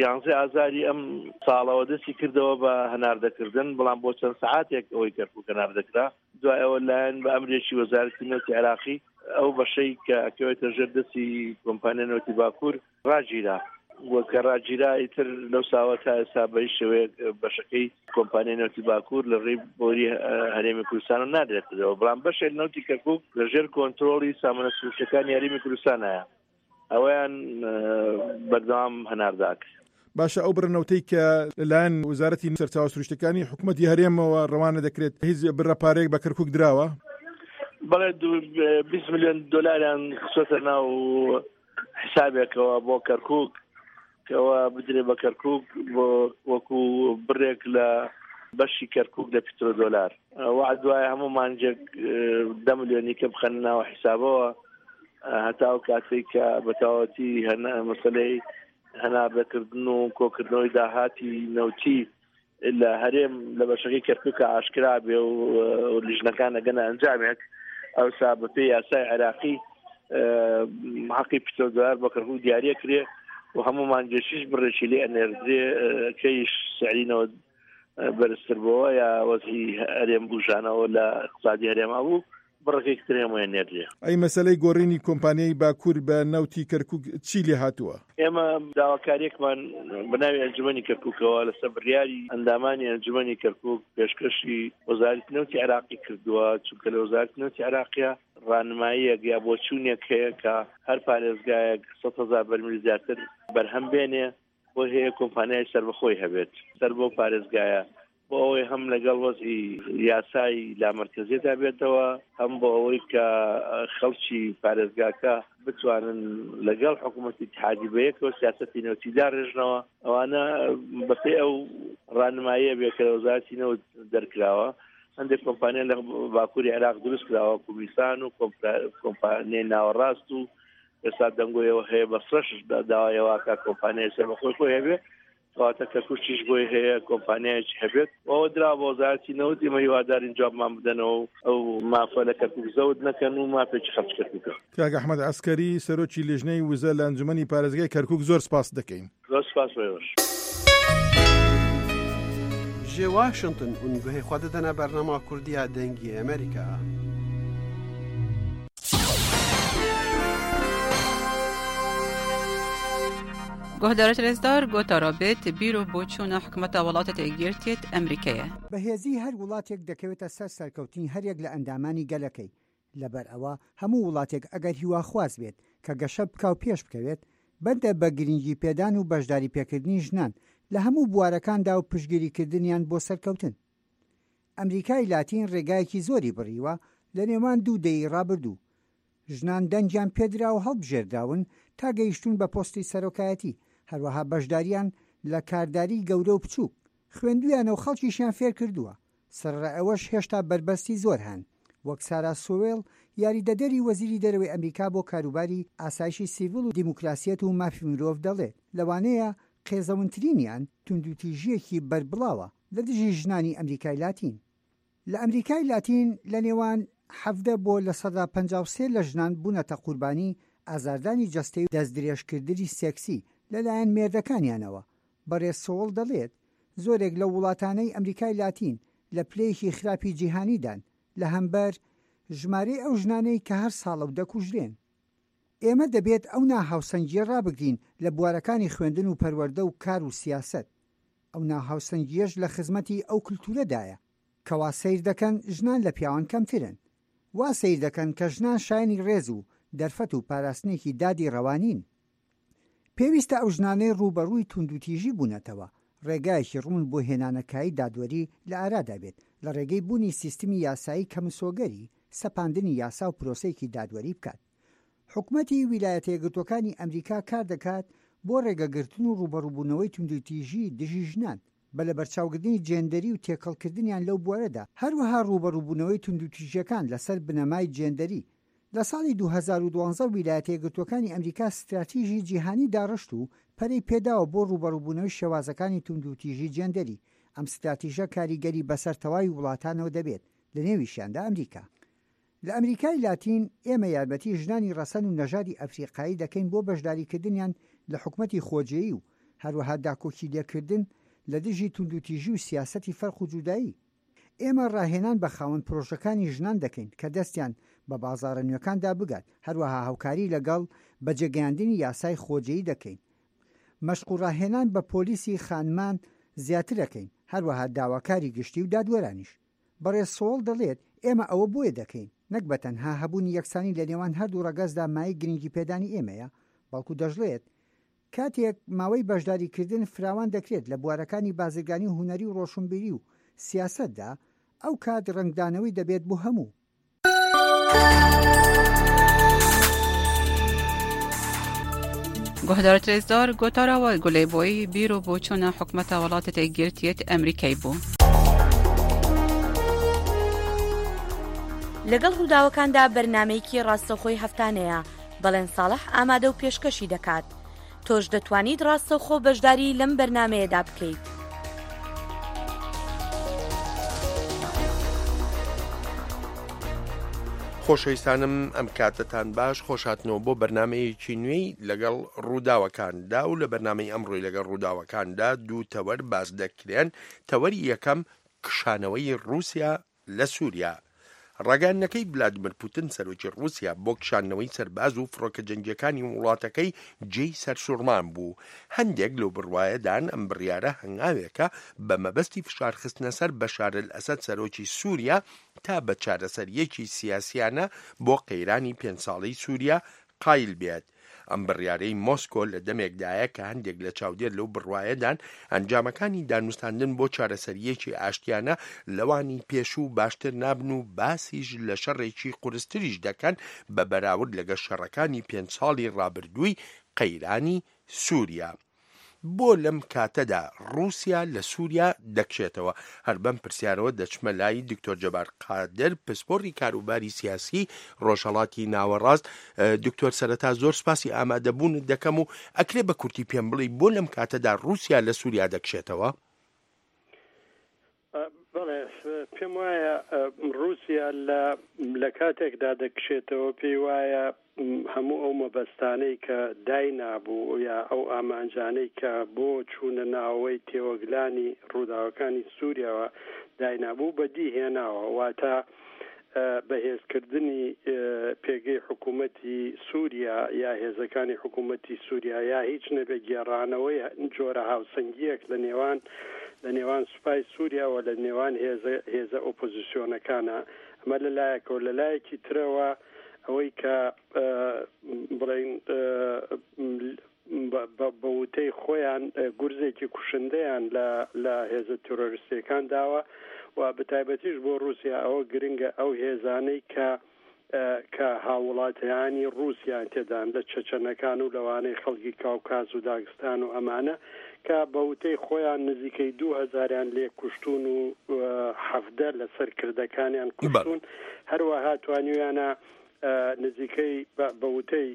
یانزەی ئازاری ئەم ساڵەوە دەستی کردەوە بە هەناردەکردن بەڵام بۆ چەند سەعاتێک ئەوەی کەرکوک هەناردەکرا دوای ئەوە لایەن بە ئەمرێکی وەزارەتی نەوتی عێراقی ئەو بەشەی کە ئەکەوێتە ژێر دەستی کۆمپانیای نەوتی باکوور ڕاگیرا و کە ڕاگیرا ئیتر لەو ساوە تا ئێستا بە هیچ شێوەیەک بەشەکەی کۆمپانیای نەوتی باکوور لە ڕێی بۆری هەرێمی کوردستانەوە نادرێتەوە بەڵام بەشێک نەوتی کەرکووک لە ژێر کۆنترۆڵی سامانە سروشتەکانی هەرێمی کوردستانایە ئەوەیان بەردەوام هەناردە ئەکرێت. باشە ئەو بڕە نەوتەی کە لەلایەن وەزارەتی سەرچاوە سروشتەکانی حکومەتی هەرێمەوە ڕەوانە دەکرێت هیچ بڕە پارەیەک بە کەرکوک دراوە؟ بەڵێ 20 میلیۆن دۆلاریان خستۆتە ناو حسابێکەوە بۆ کەرکوک کەەوە بدرێ بە کەرکوک بۆ وەکو بڕێک لە بەشی کەرکوک لە پترۆدۆلار وعد دوای هەموو مانجێک دە ملیۆنی کە بخەنە ناوە حیسابەوە هەتا ئەو کاتێک کە بەتەواوەتی هەنا مەسلەی هەناردەکردن و کۆکردنەوەی داهاتی نەوتی لە هەرێم لە بەشەکەی کەرکووکە ئاشکرا بێ و لیژنەکان ئەگەنە ئەنجامێک ئەوسا بەپێی یاسای عێراقی حەقی پترۆدۆلار بۆ کەرکووک دیاریە کرێ و هەموو مانگێکیش بڕێکی لێ ئەنێردرێ کەیش سعرینەوە بەرزتر بۆوە یا وەزعی هەرێم بوژانەوە لە اقتصادی هەرێما بوو بڕەکەی تر هەموویان نێردرێ. ئەی مەسەلەی گۆڕینی کۆمپانیای باکوور بە نەوتی کەرکووک چی لێ هاتووە؟ ئێمە داواکارییەکمان بە ناوی ئەنجومەنی کەرکووکەوە لەسەر بڕیاری ئەندامانی ئەنجومەنی کەرکووک پێشکەشی وەزارەتی نەوتی عێراقی کردووە، چونکە لە وەزارەتی نەوتی عێراقیا ڕانماییەک یا بۆچوونێک هەیە کە هەر پارێزگایەک 100,000 بەرمیل زیاتر بەرهەم بێنێ بۆی هەیە کۆمپانیای سەربەخۆی هەبێت سەر بەو پارێزگایە بۆ ئەوەی هەم لەگەڵ وەزعی یاسای لامەرکەزیەدا بێتەوە هەم بۆ ئەوەی کە خەڵکی پارێزگاکە بتوانن لەگەڵ حکوومەتی اتحادی بەیەکەوە سیاسەتی نەوتی داڕێژنەوە ئەوانە بەپێی ئەو ڕانماییە بێ کە لە وەزارەتی نەوت دەرکراوە هەندێک کۆمپانیا لە باکووری عێراق دروست کراوە کومیسان و کۆمپانیای ناوەڕاست و ئێستا دەنگۆیەوە هەیە بەسرەش داوای ئەوە کە کۆمپانیای سەربەخۆی خۆی هەبێ کەواتە کەرکوکیش بۆی هەیە کۆمپانیایەکی هەبێت ئەوە درا بۆ وەزارەتی نەوت ئێمە هیوادارین جوابمان بدەنەوە و ئەو مافە لە کەرکوک زەوت نەکەن و مافێکی خەڵکی کەرکوکە. کاک ئەحمەد عەسکەری، سەرۆکی لیژنەی وزە لە ئەنجومەنی پارێزگای کەرکوک زۆر سپاست دەکەین. زۆر سپاس بۆ ئێوەش. Ji Washington hûn guhê xwe didine bernama Kurdî ya Dengê Amerîka. Guhdarê rêzdar gotara bêt bîr û boçûna hikûmeta welatê Yekgirtiyê Emrîkê ye. بەهێزیی هەر وڵاتێک دەکەوێتە سەر سەرکەوتنی هەریەک لە ئەندامانی گەلەکەی، لەبەر ئەوە هەموو وڵاتێک ئەگەر هیواخواز بێت کە گەشە بکا و پێش بکەوێت، بەندە بە گرینگی پێدان و بەشداری پێکردنی ژنان لە هەموو بوارەکاندا و پشتگیری کردنیان بۆ سەرکەوتن. ئەمریکای لاتین ڕێگایەکی زۆری بڕیوە لە نێوان دوو دەیەی ڕابردوو. ژنان دەنگیان پێدرا و هەڵبژێردراون تا گەیشتوون بە پۆستی سەرۆکایەتی، هەروەها بەشداریان لە کارداری گەورە و بچووک، خوێندوویانە و خەڵکیشیان فێرکردووە. سەرەڕای ئەوەش هێشتا بەربەستی زۆر هەن، وەک سارا سۆوێڵ، یاریدەدەری وەزیری دەرەوەی ئەمریکا بۆ کاروباری ئاسایشی سیڤیل و دیموکراسیەت و مافی مرۆڤ دەڵێت، لەوانەیە قێزەونترینیان توندوتیژییەکی بەربڵاوە لە دژی ژنانی ئەمریکای لاتین. لە ئەمریکای لاتین لە نێوان 17 بۆ 53% لە ژنان بوونەتە قوربانی ئازاردانی جەستەی و دەستدرێژکردنی سێکسی لەلایەن مێردەکانیانەوە، بەڕێز سۆوڵ دەڵێت، زۆرێک لەو وڵاتانەی ئەمریکای لاتین لە پلەیەکی خراپی جیهانیدان لە هەمبەر ژمارەی ئەو ژنانەی کە هەر ساڵە و دەکوژرێن. ئێمە دەبێت ئەو ناهاوسەنگییە ڕابگرین لە بوارەکانی خوێندن و پەروەردە و کار و سیاسەت. ئەو ناهاوسەنگییەش لە خزمەتی ئەو کلتورەدایە کە وا سەیر دەکەن ژنان لە پیاوان کەمترن. وا سەیر دەکەن کە ژنان شایەنی ڕێز و دەرفەت و پاراستنێکی دادی ڕەوا نین. پێویستە ئەو ژنانەی ڕووبەڕووی توندوتیژی بوونەتەوە، ڕێگایەکی ڕوون بۆ هێنانەکایەی دادوەری لە ئارادا بێت، لە ڕێگەی بوونی سیستمی یاسایی کە مسۆگەری سەپاندنی یاسا و پرۆسەیەکی دادوەری بکات. حکومەتی ویلایەتە یەکگرتووەکانی ئەمریکا کاردەکات بۆ ڕێگەگرتن و ڕووبەڕووبوونەوەی توندوتیژی دژی ژنان، بە لەبەرچاوگرتنی جێندەری و تێکەڵکردنیان لەو بوارەدا، هەروەها ڕووبەڕووبوونەوەی توندوتیژییەکان لەسەر بنەمای جێندەری. لە ساڵی 2012 ویلایەتە یەکگرتووەکانی ئەمریکا ستراتیژی جیهانی داڕشت و پەرەی پێداوە بۆ ڕووبەڕووبوونەوەی شێوازەکانی توندوتیژی جێندەری. ئەم ستراتیژە کاریگەری بەسەر تەواوی وڵاتانەوە دەبێت، لەنێویشیاندا ئەمریکا. لە ئەمریکای لاتین، ئێمە یارمەتی ژنانی ڕەسەن و نەژادی ئەفریقایی دەکەین بۆ بەشداریکردنیان لە حکومەتی خۆجێیی و هەروەها داکۆکیلێکردن لە دژی توندوتیژی و سیاسەتی فەرق و جودایی. ئێمە ڕاهێنان بە خاوەن پرۆژەکانی ژنان دەکەین کە دەستیان بە بازاڕە نوێکاندا بگات، هەروەها هاوکاری لەگەڵ بەجێگەیاندنی یاسای خۆجێی دەکەین. مەشق و ڕاهێنان بە پۆلیسی خانمان زیاترەکەین، هەروەها داواکاری گشتی و دادوەرانیش. بەڕێز سۆڵ دەڵێت، ئێمە ئەوە بۆیە دەکەین، نەک بە تەنها هەبوونی یەکسانی لە نێوان هەردوو ڕەگەزدا مایەی گرنگیپێدانی ئێمەیە، بەڵکو دەشڵێت، کاتێک ماوەی بەشداریکردن فراوان دەکرێت لە بوارەکانی بازرگانی و هونەری و ڕۆشنبیری و سیاسەتدا، ئەو کات ڕەنگدانەوەی دەبێت بۆ هەموو. گۆهدارت رێزدار گۆتارا وە گولەی بۆی بیر و بۆچوونە حکومەتە وڵاتە یەکگرتیەت ئەمریکای بوو. لەگەڵ ڕووداوەکاندا بەرنامەیەکی ڕاستەوخۆی هەفتانەیە، بەڵێن ساڵح ئامادە و پێشکەشی دەکات. تۆش دەتوانیت ڕاستەوخۆ بەشداری لەم بەرنامەیەدا بکەیت. خۆشەویستانم ئەم کاتەتان باش خۆشهاتنەوە بۆ بەرنمەیەکی نوێی لەگەڵ ڕووداوەکاندا و لە بەرنمەی ئەمڕۆی لەگەڵ ڕووداوەکاندا دوو تەوەر باس دەکرێن تەوەری یەکەم کشانەوەی ڕووسیا لە سووریا. ڕاگەیاندنەکەی ڤلادیمیر پوتن سەرۆکی ڕووسیا بۆ کشاندنەوەی سەرباز و فڕۆکە جەنگییەکانی وڵاتەکەی جێی سەرسوڕمان بوو. هەندێک لەو بڕوایەدان ئەم بڕیارە هەنگاوێکە بە مەبەستی فشارخستنە سەر بەشار ئەلئەسەد سەرۆکی سووریا تا بە چارەسەرییەکی سیاسیانە بۆ قەیرانی پێنج ساڵەی سووریا قایل بێت. ئەم بڕیارەی مۆسکۆ لە دەمێکدایە کە هەندێک لە چاودێر لەو بڕوایەدان ئەنجامەکانی دانوستاندن بۆ چارەسەرییەکی ئاشتیانە لەوانی پێشوو باشتر نابن و باسیش لە شەڕێکی قورستریش دەکەن بە بەراورد لەگەڵ شەڕەکانی پێنج ساڵی ڕابردووی قەیرانی سووریا. بۆ لەم کاتەدا ڕووسیا لە سووریا دەکشێتەوە؟ هەر بەم پرسیارەوە دەچمە لای دکتۆر جەبار قادر، پسپۆڕی کاروباری سیاسی ڕۆژهەڵاتی ناوەڕاست. دکتۆر سەرەتا زۆر سپاسی ئامادەبوونت دەکەم و ئەکرێ بە کورتی پێم بڵێی بۆ لەم کاتەدا ڕووسیا لە سووریا دەکشێتەوە؟ بەڵێ، پێم وایە ڕووسیا لە لە کاتێکدا دەکشێتەوە پێی وایە هەموو ئەو مەبەستانەی کە داینابوو یا ئەو ئامانجانەی کە بۆ چوونە ناوەوەی تێوەگلانی ڕووداوەکانی سووریاوە داینابوو بەدی هێناوە واتە بەهێزکردنی پێگەی حکوومەتی سووریا یا هێزەکانی حکوومەتی سووریا یا هیچ نەبێ گێڕانەوەی جۆرە هاوسەنگییەک لە نێوان لە نێوان سوپای سووریا و لە نێوان هێزە هێزە ئۆپۆزیسیۆنەکانە ئەمە لە لایەکەوە لە لایەکی ترەوە ئەوەی کە بڵێین بە وتەی خۆیان گورزێکی کوشندەیان لە لە هێزە تیرۆریستیەکان داوە و بەتایبەتیش بۆ ڕووسیا ئەوە گرنگە ئەو هێزانەی کە کە هاووڵاتیانی ڕووسیان تێدان لە چەچەنەکان و لەوانەی خەڵکی کاوکاز و داگستان و ئەمانە کە بە وتەی خۆیان نزیکەی دوو هەزاریان لێ کوشتوون و 17 لە سەرکردەکانیان کوشتوون هەروەها توانیویانە نزیکەی بە وتەی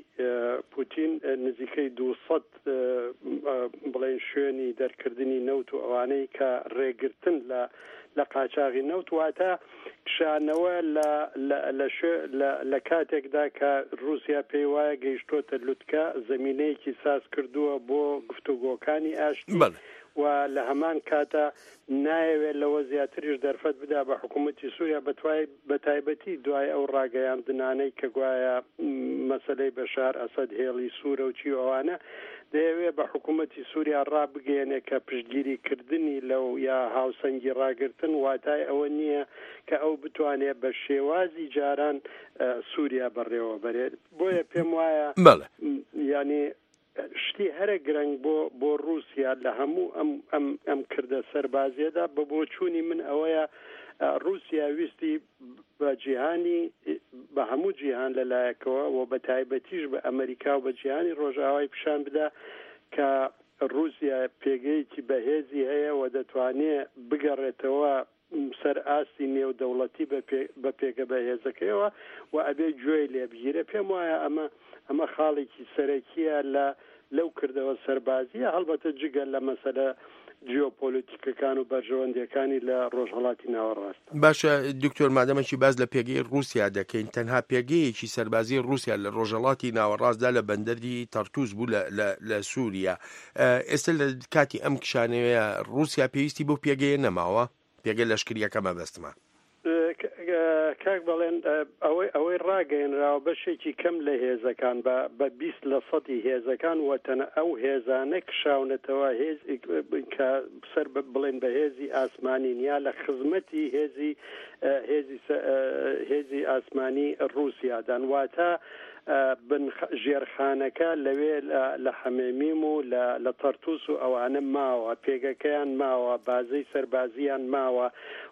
پوتین نزیکەی 200 بڵێن شوێنی دەرکردنی نەوت و ئەوانەی کە ڕێگرتن لە لە قاچاغی نەوت واتە کشانەوە لە لە لە کاتێکدا کە رووسیا پێی وایە گەیشتۆتە لوتکە زمینەیەکی ساز کردووە بۆ گفتوگۆکانی ئاشتی و لە هەمان کاتە نایەوێت لەوە زیاتریش دەرفەت بدا بە حکوومەتی سووریا بەتوای بەتایبەتی دوای ئەو ڕاگەیاندنانەی کە گوایە مەسەلەی بەشار ئەسەد هێڵی سوورە و چی و ئەوانە، دەیەوێ بە حکوومەتی سووریا ڕابگەیەنێ کە پشتگیری کردنی لەو یا هاوسەنگی ڕاگرتن واتای ئەوە نییە کە ئەو بتوانێ بە شێوازی جاران سووریا بەڕێوە بەرێ. بۆیە پێم وایە یانی شتی هەرە گرنگ بۆ بۆ ڕووسیا لە هەموو ئەم ئەم ئەم کردە سەربازیەدا بە بۆچوونی من ئەوەیە ڕووسیا ویستی بە جیهانی بە هەموو جیهان لە لایەکەوە و بە تایبەتیش بە ئەمریکا و بە جیهانی ڕۆژئاوای پیشان بدا کە ڕووسیا پێگەیەکی بەهێزی هەیە و دەتوانێ بگەڕێتەوە سەر ئاستی نێودەوڵەتی بە پێگە بەهێزەکەیەوە و ئەبێ گوێی لێ بگیرێ. پێم وایە ئەمە ئەمە خاڵێکی سەرەکییە لە لەو کردەوە سەربازییە، هەڵبەتە جگە لە مەسەلە جیۆپۆلیتیکەکان و بەرژەوەندییەکانی لە ڕۆژهەڵاتی ناوەڕاست. باشە دکتۆر مادەمەکی باس لە پێگەی ڕووسیا دەکەین، تەنها پێگەیەکی سەربازی ڕووسیا لە ڕۆژهەڵاتی ناوەڕاستدا لە بەندەری تەرتوس بوو لە لە لە سووریا. ئێستا لە کاتی ئەم کشانەوەیە ڕووسیا پێویستی بەو پێگەیە نەماوە؟ پێگە لەشکریەکە مەبەستمە. کاک بەڵێن ئەوەی ئەوەی ڕاگەیەنراوە بەشێکی کەم لە هێزەکان بە بە 20 لە سەدی هێزەکان وەتەنە ئەو هێزانە کشاونەتەوە هێز کە سەر بڵێن بە هێزی ئاسمانین یا لە خزمەتی هێزی هێزی هێزی ئاسمانی ڕووسیادان واتە بن ژێرخانەکە لەوێ لە حەمێمیم و لە لە تەرتوس و ئەوانە ماوە، پێگەکەیان ماوە، بازەی سەربازییان ماوە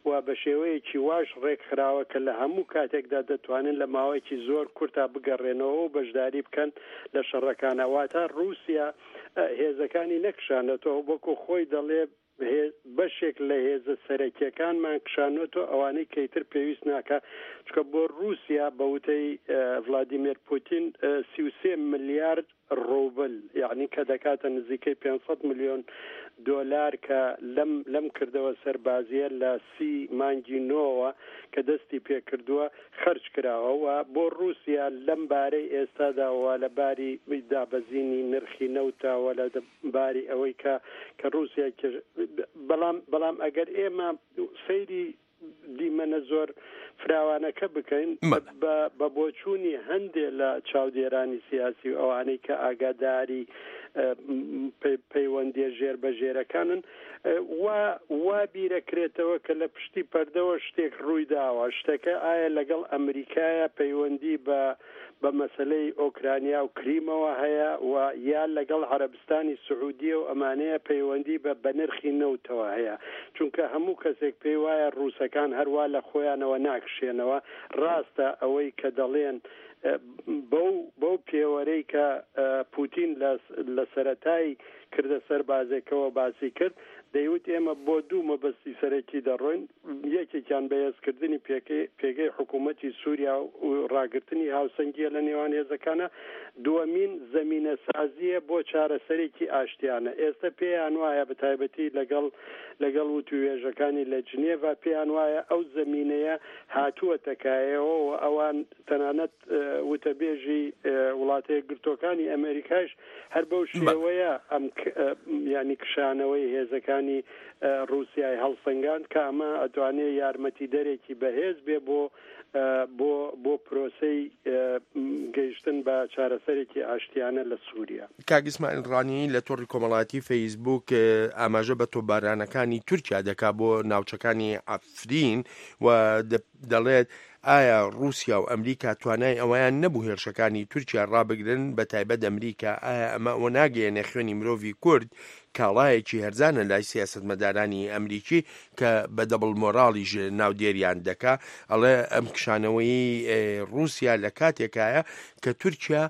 و بە شێوەیەکی واش ڕێکخراوە کە لە هەموو کاتێکدا دەتوانن لە ماوەیەکی زۆر کورتا بگەڕێنەوە و بەشداری بکەن لە شەڕەکانا. واتە ڕووسیا هێزەکانی نەکشانەتەوە وەکو خۆی دەڵێ بەشێک لە هێزە سەرەکیەکانمان کشانۆتەوە ئەوانەی کە ئیتر پێویست ناکا چونکە بۆ رووسیا بە وتەی ڤلادیمێر پوتین 33 ملیارد ڕوبل یعنی کە دەکاتە نزیکەی 500 ملیۆن دۆلار کە لەم لەم کردەوە سەربازیە لە سی مانگی نۆوە کە دەستی پێکردووە خەرج کراوە و بۆ رووسیا لەم بارەی ئێستادا و لە باری دابەزینی نرخی نەوتە و لە باری ئەوەی کە کە ڕووسیا کێش بەڵام بەڵام ئەگەر ئێمە سەیری دیمەنە زۆر فراوانەکە بکەین بە بۆچوونی هەندێ لە چاودێرانی سیاسی و ئەوانەی کە ئاگاداری پەیوەندیە ژێر بە ژێرەکانن وا وا بیرەکرێتەوە کە لە پشتی پەردەوە شتێک ڕووی داوە شتەکە ئایا لەگەڵ ئەمریکایە پەیوەندی بە بە مەسەلەی ئۆکرانیا و کریمەوە هەیە و یا لەگەڵ عەرەبستانی سعودیە و ئەمانەیە پەیوەندی بە بە نرخی نەوتەوە هەیە چونکە هەموو کەسێک پێی وایە ڕووسەکان هەروا لە خۆیانەوە ناکشێنەوە ڕاستە ئەوەی کە دەڵێن بەو بەو پێوەرەی کە پوتین لە لە سەرەتای کردە سەربازێکەوە باسی کرد دەیوت ئێمە بۆ دوو مەبەستی سەرەکی دەڕۆین، یەکێکیان بەهێزکردنی پێگەی حکوومەتی سووریا و ڕاگرتنی هاوسەنگییە لە نێوان هێزەکانە، دووەمین زەمینەسازییە بۆ چارەسەرێکی ئاشتیانە. ئێستە پێیان وایە بەتایبەتی لەگەڵ لەگەڵ وتووێژەکانی لە جنێڤا پێیان وایە ئەو زەمینەیە هاتووەتە کایەوە و ئەوان تەنانەت وتەبێژی وڵاتە یەکگرتووەکانی ئەمەریکایش هەر بەو شێوەیە ئەم یانی کشانەوەی هێزەکانی ڕووسیای هەڵسەنگاند کە ئەمە ئەتوانێ یارمەتیدەرێکی بەهێز بێ بۆ بۆ بۆ پرۆسەی گەیشتن بە چارەسەرێکی ئاشتیانە لە سووریا. کاک ئیسماعیل ڕانی لە تۆڕی کۆمەڵایەتی فەیسبووک ئاماژە بە تۆپبارانەکانی تورکیا دەکا بۆ ناوچەکانی عەفرین و دەڵێت، ئایا ڕووسیا و ئەمریکا توانای ئەوەیان نەبوو هێرشەکانی تورکیا ڕابگرن، بەتایبەت ئەمریکا، ئایا ئەمە ئەوە ناگەیەنێ خوێنی مرۆڤی کورد کاڵایەکی هەرزانە لای سیاسەتمەدارانی ئەمریکی کە بە دەبڵ مۆراڵیش ناودێریان دەکا، ئەڵێ ئەم کشانەوەی ڕووسیا لە کاتێکایە کە تورکیا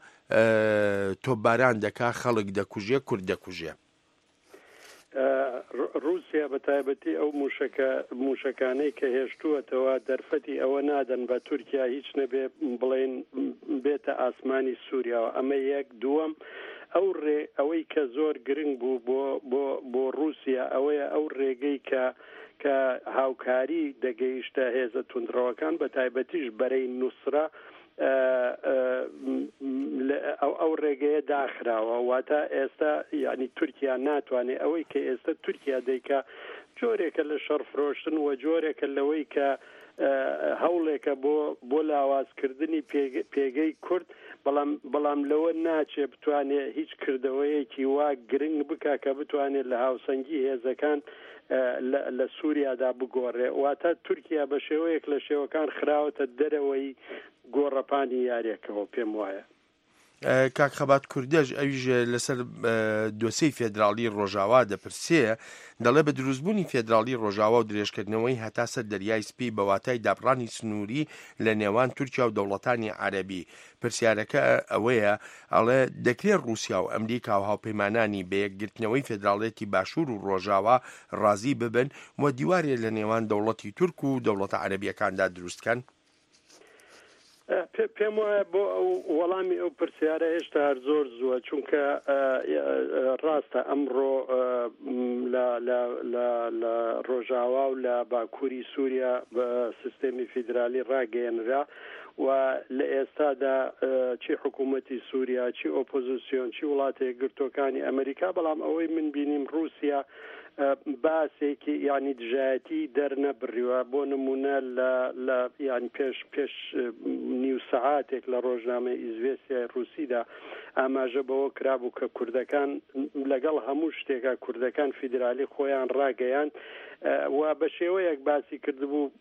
تۆپباران دەکا، خەڵک دەکوژێ، کورد دەکوژێ. ڕووسیا بە تایبەتی ئەو مووشەکە مووشەکانەی کە هێشتووەتەوە دەرفەتی ئەوە نادەن بە تورکیا هیچ نەبێ بڵێن بێتە ئاسمانی سووریاوە ئەمە یەک دووەم ئەو ڕێ ئەوەی کە زۆر گرنگ بوو بۆ بۆ بۆ ڕووسیا ئەوەیە ئەو ڕێگەی کە کە هاوکاری دەگەیشتە هێزە توندڕەوەکان بە تایبەتیش بەرەی نوسرە ئەو ڕێگەیە داخراوە واتە ئێستا یعنی تورکیا ناتوانێت ئەوەی کە ئێستا تورکیا دەیکا جۆرێکە لە شەڕ فرۆشتن و جۆرێکە لەوەی کە هەوڵێکە بۆ بۆ لاوازکردنی پێگەی کورد بەڵام بەڵام لەوە ناچێ بتوانێت هیچ کردەوەیەکی وا گرنگ بکە کە بتوانێت لە هاوسەنگی هێزەکان لە سووریادا بگۆڕێ، واتە تورکیا بە شێوەیەک لە شێوەکان خراوەتە دەرەوەی گۆڕەپانی یاریەکەوە پێم وایە. کاک خەبات کوردەش ئەویش لەسەر دۆسێی فێدراڵی ڕۆژاوا دەپرسێ، دەڵێ بە دروستبوونی فێدراڵی ڕۆژاوا و درێژکردنەوەی هەتا سەر دەریای سپی بە واتای دابڕانی سنووری لە نێوان تورکیا و دەوڵەتانی عەرەبی پرسیارەکە ئەوەیە ئەڵێ دەکرێ ڕووسیا و ئەمریکا و هاوپەیمانانی بە یەکگرتنەوەی فێدراڵێتی باشوور و ڕۆژاوا ڕازی ببن و دیوارێ لە نێوان دەوڵەتی تورک و دەوڵەتە عەرەبییەکاندا دروست کەن؟ پێم وایە بۆ ئەو وەڵامی ئەو پرسیارە هێشتا هەر زۆر زووە چونکە ڕاستە ئەمڕۆ لە ڕۆژاوا و لە باکووری سووریا بە سیستێمی فیدرالی ڕاگەیەنرا و لە ئێستادا چی حکوومەتی سووریا، چی ئۆپۆزیسیۆن، چی وڵاتە یەکگرتووەکانی ئەمریکا، بەڵام ئەوەی من بینیم ڕووسیا باسێکی یانی دژایەتی دەرنەبڕیوە بۆ نمونە لە لە یان پێش پێش نیو سەعاتێک لە ڕۆژنامەی ئیزڤێستیای ڕووسیدا ئاماژە بەوە کرابوو کە کوردەکان لەگەڵ هەموو شتێکا کوردەکان فیدرالی خۆیان ڕاگەیاند و بە شێوەیەک باسی کردبوو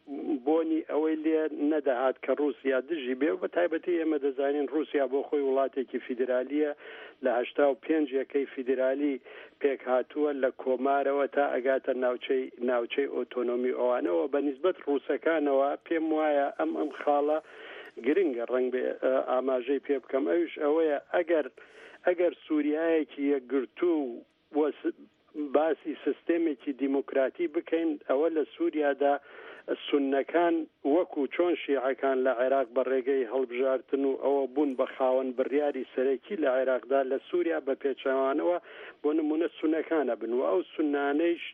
بۆنی ئەوەی لێ نەدەهات کە ڕووسیا دژی بێ و بە تایبەتی ئێمە دەزانین ڕووسیا بۆ خۆی وڵاتێکی فیدرالییە لە 85 یەکەی فیدرالی پێکهاتووە لە کۆمارەوە تا ئەگاتە ناوچەی ناوچەی ئۆتۆنۆمی ئەوانەوە بە نیسبەت ڕووسەکانەوە پێم وایە ئەم ئەم خاڵە گرنگە ڕەنگبێ ئاماژەی پێ بکەم ئەویش ئەوەیە ئەگەر ئەگەر سووریایەکی یەکگرتوو و باسی سیستێمێکی دیموکراتی بکەین ئەوە لە سووریادا سوننەکان وەکو چۆن شیعەکان لە عێراق بە ڕێگەی هەڵبژارتن و ئەوە بوون بە خاوەن بڕیاری سەرەکی لە عێراقدا لە سووریا بە پێچەوانەوە بۆ نموونە سوننەکان ئەبن و ئەو سوننانەیش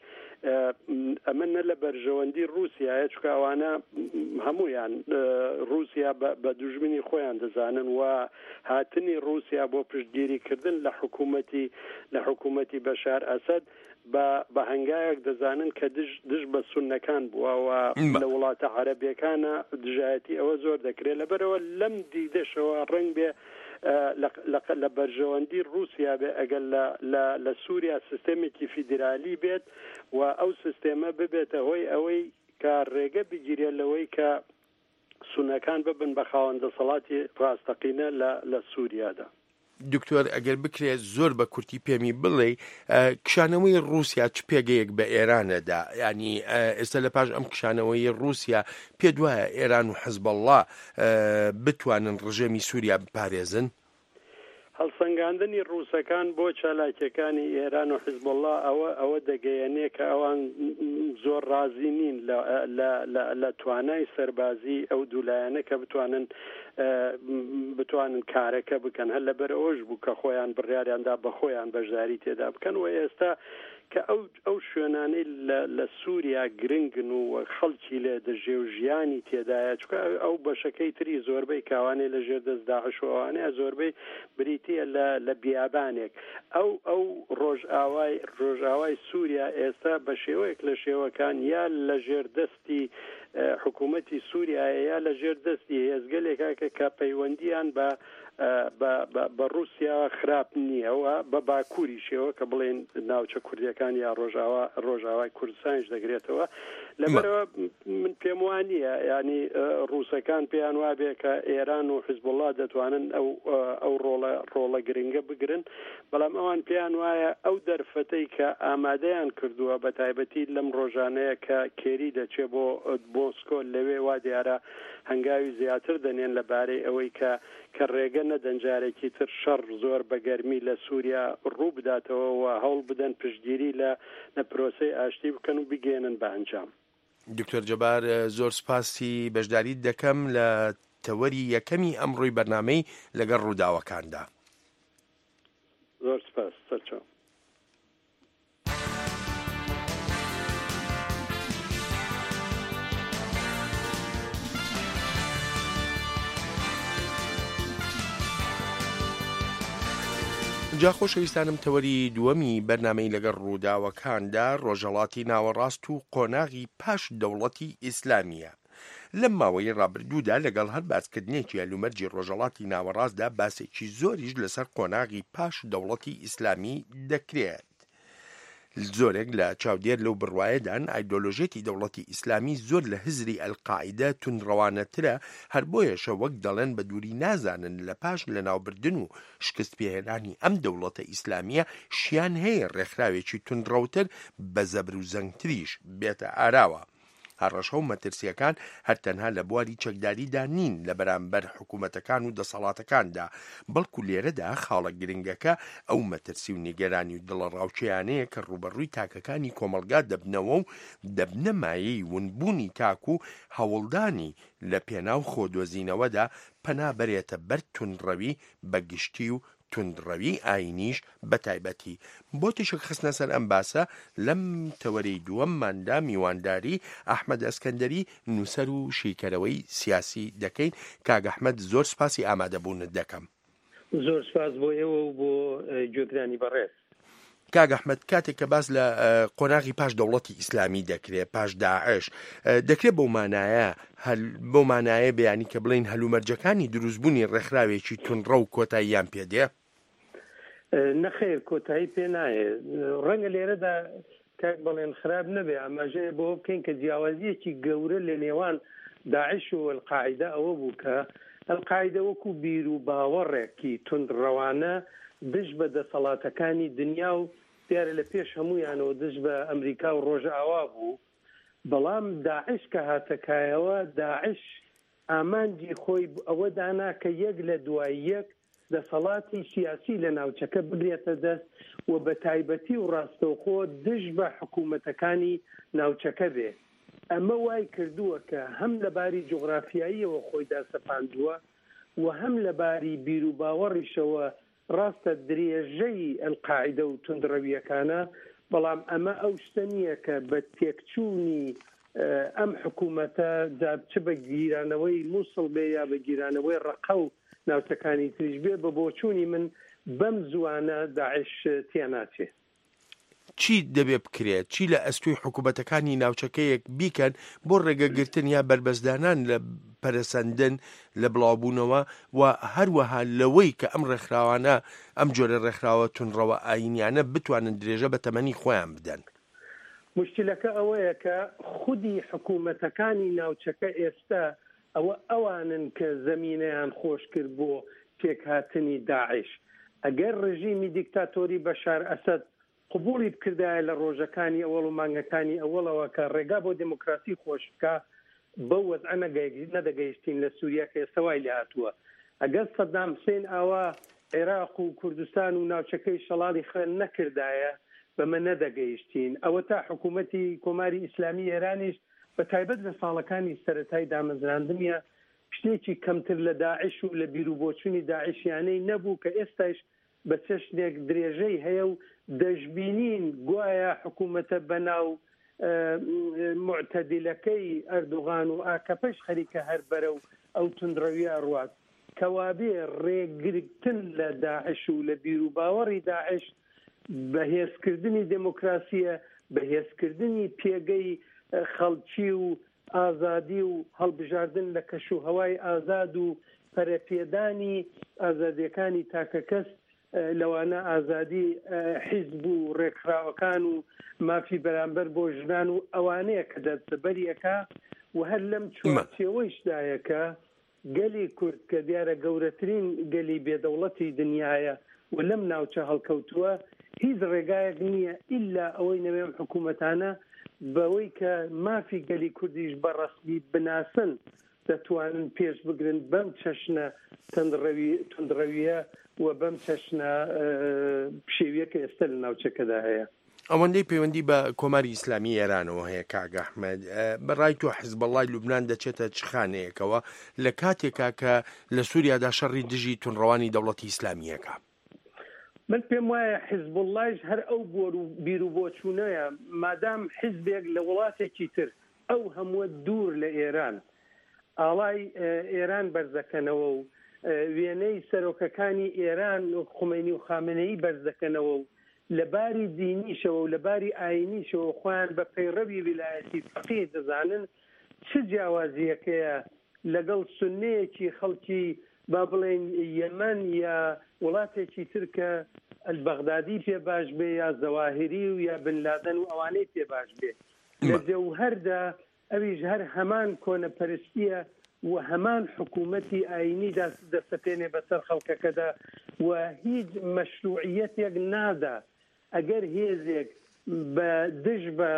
ئەمە نە لە بەرژەوەندی ڕووسیایە چونکە ئەوانە هەموویان ڕووسیا بە دوژمنی خۆیان دەزانن و هاتنی ڕووسیا بۆ پشتگیری کردن لە حکوومەتی لە حکوومەتی بەشار ئەسەد بە بە هەنگاوێک دەزانن کە دژ دژ بە سوننەکان بووە و لە وڵاتە عەرەبیەکانە دژایەتی ئەوە زۆر دەکرێت لەبەرئەوە لەم دیدەشەوە ڕەنگبێ لە لە لە بەرژەوەندی ڕووسیا بێ ئەگەر لە لە لە سووریا سیستێمێکی فیدرالی بێت و ئەو سیستێمە ببێتە هۆی ئەوەی کە ڕێگە بگیرێت لەوەی کە سوننەکان ببن بە خاوەن دەسەڵاتی ڕاستەقینە لە لە سووریادا. دکتۆر ئەگەر بکرێت زۆر بە کورتی پێمی بڵێی کشانەوەی ڕووسیا چ پێگەیەک بە ئێران ئەدا؟ یانی ئێستا لە پاش ئەم کشانەوەی ڕووسیا پێت وایە ئێران و حزبەڵڵا بتوانن ڕژێمی سووریا بپارێزن؟ هەڵسەنگاندنی ڕووسەکان بۆ چالاکیەکانی ئێران و حزبوڵڵا ئەوە ئەوە دەگەیەنێ کە ئەوان زۆر ڕازی نین لە لە لە لە توانای سەربازی ئەو دوو لایەنە کە بتوانن بتوانن کارەکە بکەن هەر لەبەر ئەوەش بوو کە خۆیان بڕیاریان دا بە خۆیان بەشداری تێدا بکەن و ئێستا کە ئەو ئەو شوێنانەی لە لە سووریا گرنگن و خەڵکی لێ دەژێ و ژیانی تێدایە چونکە ئەو بەشەکەی تری زۆربەی کاوانەی لە ژێر دەست داعش و ئەوانەیە زۆربەی بریتییە لە لە بیابانێک ئەو ئەو ڕۆژئاوای ڕۆژئاوای سووریا ئێستا بە شێوەیەک لە شێوەکان یا لە ژێر دەستی حکوومەتی سووریایە یا لە ژێر دەستی هێزگەلێکە کە کە پەیوەندییان بە بە بە بە ڕووسیاوە خراپ نییە و بە باکووریشەوە کە بڵێین ناوچە کوردییەکان یا ڕۆژاوا ڕۆژاوای کوردستانیش دەگرێتەوە. لەبەرئەوە من پێم وا نییە یانی ڕووسەکان پێیان وابێ کە ئێران و حیزبوڵڵا دەتوانن ئەو ئەو ڕۆڵە ڕۆڵە گرنگە بگرن بەڵام ئەوان پێیان وایە ئەو دەرفەتەی کە ئامادەیان کردووە بە تایبەتی لەم ڕۆژانەیە کە کێری دەچێ بۆ مۆسکۆ لەوێ وا دیارە هەنگاوی زیاتر دەنێن لە بارەی ئەوەی کە کە ڕێگە نەدەن جارێکی تر شەڕ زۆر بە گەرمی لە سووریا ڕوو بداتەوە و هەوڵ بدەن پشتگیری لە لە پرۆسەی ئاشتی بکەن و بیگەیەنن بە ئەنجام. دکتۆر جەبار زۆر سوپاسی بەشداریت دەکەم لە تەوەری یەکەمی ئەمڕۆی بەرنامەی لەگەڵ ڕووداوەکاندا. زۆر سوپاس سەرچاو. جا خۆشەویستانم تەوەری دووەمی بەرنامەی لەگەڵ ڕووداوەکاندا ڕۆژهەڵاتی ناوەڕاست و قۆناغی پاش دەوڵەتی ئیسلامییە. لەم ماوەی ڕابردوودا لەگەڵ هەر باسکردنێکی هەلومەرجی ڕۆژهەڵاتی ناوەڕاستدا باسێکی زۆریش لەسەر قۆناغی پاش دەوڵەتی ئیسلامی دەکرێت. زۆرێک لە چاودێر لەو بڕوایەدان ئایدۆلۆژیەتی دەوڵەتی ئیسلامی زۆر لە هزری ئەلقاعیدە توندڕەوانەترە، هەر بۆیەشە وەک دەڵێن بە دووری نازانن لە پاش لەناوبردن و شکست پێهێنانی ئەم دەوڵەتە ئیسلامیە شیان هەیە ڕێکخراوێکی توندڕەوتر بە زەبر و زەنگتریش بێتە ئاراوە. هەڕەشە و مەترسییەکان هەر تەنها لە بواری چەکداریدا نین لە بەرامبەر حکومەتەکان و دەسەڵاتەکاندا، بەڵکو لێرەدا خاڵە گرنگەکە ئەو مەترسی و نیگەرانی و دڵەڕاوکێیانەیە کە ڕووبەڕووی تاکەکانی کۆمەڵگا دەبنەوە و دەبنە مایەی ونبوونی تاک و هەوڵدانی لە پێناو خۆدۆزینەوەدا پەنا بەرێتە بەر توندڕەوی بە گشتی و توندڕەوی ئایینیش بە تایبەتی. بۆ تیشک خستنە سەر ئەم باسە لەم تەوەرەی دووەمماندا میوانداری ئەحمەد ئەسکەندەری نووسەر و شیکەرەوەی سیاسی دەکەین. کاک ئەحمەد زۆر سپاسی ئامادەبوونت دەکەم. زۆر سپاس بۆ ئێوە و بۆ گوێگرانی بەڕێز. کاک ئەحمەد کاتێک کە باس لە قۆناغی پاش دەوڵەتی ئیسلامی دەکرێت پاش داعش دەکرێت بەو مانایە بەو مانایە بێ یانی کە بڵێین هەلومەرجەکانی دروستبوونی ڕێکخراوێکی توندڕەو کۆتاییان پێ دێ؟ نەخێر کۆتایی پێ نایێ. ڕەنگە لێرەدا کاک بەڵێن خراپ نەبێ ئاماژەیە بەوە بکەین کە جیاوازییەکی گەورە لە نێوان داعش و ئەلقاعیدە ئەوە بوو کە ئەلقاعیدە وەکو بیر و باوەڕێکی توندڕەوانە دژ بە دەسەڵاتەکانی دنیا و دیارە لە پێش هەموویانەوە دژ بە ئەمریکا و ڕۆژئاوا بوو بەڵام داعش کە هاتە کایەوە داعش ئامانجی خۆی ئەوە دانا کە یەک لە دوای یەک دەسەڵاتی سیاسی لە ناوچەکە بگرێتە دەست و بە تایبەتی و ڕاستەوخۆ دژ بە حکوومەتەکانی ناوچەکە بێ. ئەمە وای کردووە کە هەم لە باری جوغرافیاییەوە خۆی داسەپاندووە و هەم لە باری بیروباوەڕیشەوە ڕاستە درێژەی ئەلقاعیدە و توندڕەوییەکانە، بەڵام ئەمە ئەو شتە نییە کە بە تێکچوونی ئەم حکوومەتە، جا چ بە گیرانەوەی مووسڵ بێ یا بە گیرانەوەی ڕەقە و ناوچەکانی تریش بێ، بە بۆچوونی من بەم زووانە داعش تێناچێ. چی دەبێ بکرێت، چی لە ئەستۆی حکوومەتەکانی ناوچەکەیەک بیکەن بۆ ڕێگەگرتن یا بەربەستدانان لە پەرەسەندن، لە بڵاوبوونەوە و هەروەها لەوەی کە ئەم ڕێکخراوانە، ئەم جۆرە ڕێکخراوە توندڕەوە ئایینیانە بتوانن درێژە بە تەمەنی خۆیان بدەن؟ موشکیلەکە ئەوەیە کە خودی حکوومەتەکانی ناوچەکە ئێستا ئەوە ئەوانن کە زەمینەیان خۆش کرد بۆ پێکهاتنی داعش. ئەگەر ڕژیمی دیکتاتۆری بەشار ئەسەد قبوڵی بکردایە لە ڕۆژەکانی ئەوەڵ و مانگەکانی ئەوەڵەوە کە ڕێگا بۆ دێمۆکراسی خۆش بکا بەو وەزعە نەدەگەیشتین لە سوریا کە ئێستا وای لێهاتووە. ئەگەر سەدام حسین ئاوا عێراق و کوردستان و ناوچەکەی شەڵاڵی خوێن نەکردایە بەمە نەدەگەیشتین. ئەوەتا حکوومەتی کۆماری ئیسلامی ئێرانیش بە تایبەت لە ساڵەکانی سەرەتای دامەزراندنیا شتێکی کەمتر لە داعش و لە بیروبۆچونی داعشیانەی نەبوو کە ئێستایش بە چەشنێک درێژەی هەیە و دەشبینین گوایە حکوومەتە بەناو موعتەدیلەکەی ئەردوغان و ئاکەپەش خەریکە هەر بەرەو ئەو توندڕەویە ئەڕوات. کەوابێ ڕێگرتن لە داعش و لە بیروباوەڕی داعش بەهێزکردنی دێمۆکراسییە، بەهێزکردنی پێگەی خەڵکی و ئازادی و هەڵبژاردن لە کەشوهەوای ئازاد و پەرەپێدانی ئازادییەکانی تاکەکەس لەوانە ئازادی حیزب و ڕێکخراوەکان و مافی بەرامبەر بۆ ژنان و ئەوانەیە کە دەستەبەری ئەکا و هەر لەم چوارچێوەیشدایە کە گەلی کورد کە دیارە گەورەترین گەلی بێ دەوڵەتی دنیایە و لەم ناوچە هەڵکەوتووە هیچ ڕێگایەک نییە ئیلا ئەوەی نەوێ ئەم حکوومەتانە بەوەی کە مافی گەلی کوردیش بە ڕەسمی بناسن دەتوانن پێش بگرن بەم چەشنە تەندڕەوی توندڕەوییە و بەم چەشنە پشێویە کە ئێستا لە ناوچەکەدا هەیە. ئەوەندەی پەیوەندی بە کۆماری ئیسلامی ئێرانەوە هەیە کاک ئەحمەد، بە ڕای تۆ حزبەڵڵای لوبنان دەچێتە چ خانەیەکەوە لە کاتێکا کە لە سووریادا شەڕی دژی توندڕەوانی دەوڵەتی ئیسلامییەکە؟ من پێم وایە حزبوڵڵایش هەر ئەو بۆر و بیروبۆچوونەیە، مادام حزبێک لە وڵاتێکی تر ئەو هەمووە دوور لە ئێران ئاڵای ئێران بەرزدەکەنەوە و وێنەی سەرۆکەکانی ئێران وەک خومەینی و خامنەیی بەرزدەکەنەوە و لە باری دینیشەوە و لە باری ئایینیشەوە خۆیان بە پەیڕەوی ویلایەتی فەقیه دەزانن، چ جیاوازییەکەیە لەگەڵ سوننەیەکی خەڵکی با بڵێین یەمەن یا وڵاتێکی تر کە ئەلبەغدادی پێ باش بێ یا زەواهیری و یا بن لادەن و ئەوانەی پێ باش بێ؟ لە جەوهەردا ئەویش هەر هەمان کۆنەپەرستییە و هەمان حکوومەتی ئایینی دەسەپێنێ بەسەر خەڵکەکەدا و هیچ مەشرووعییەتێک نادا. ئەگەر هێزێک بە دژ بە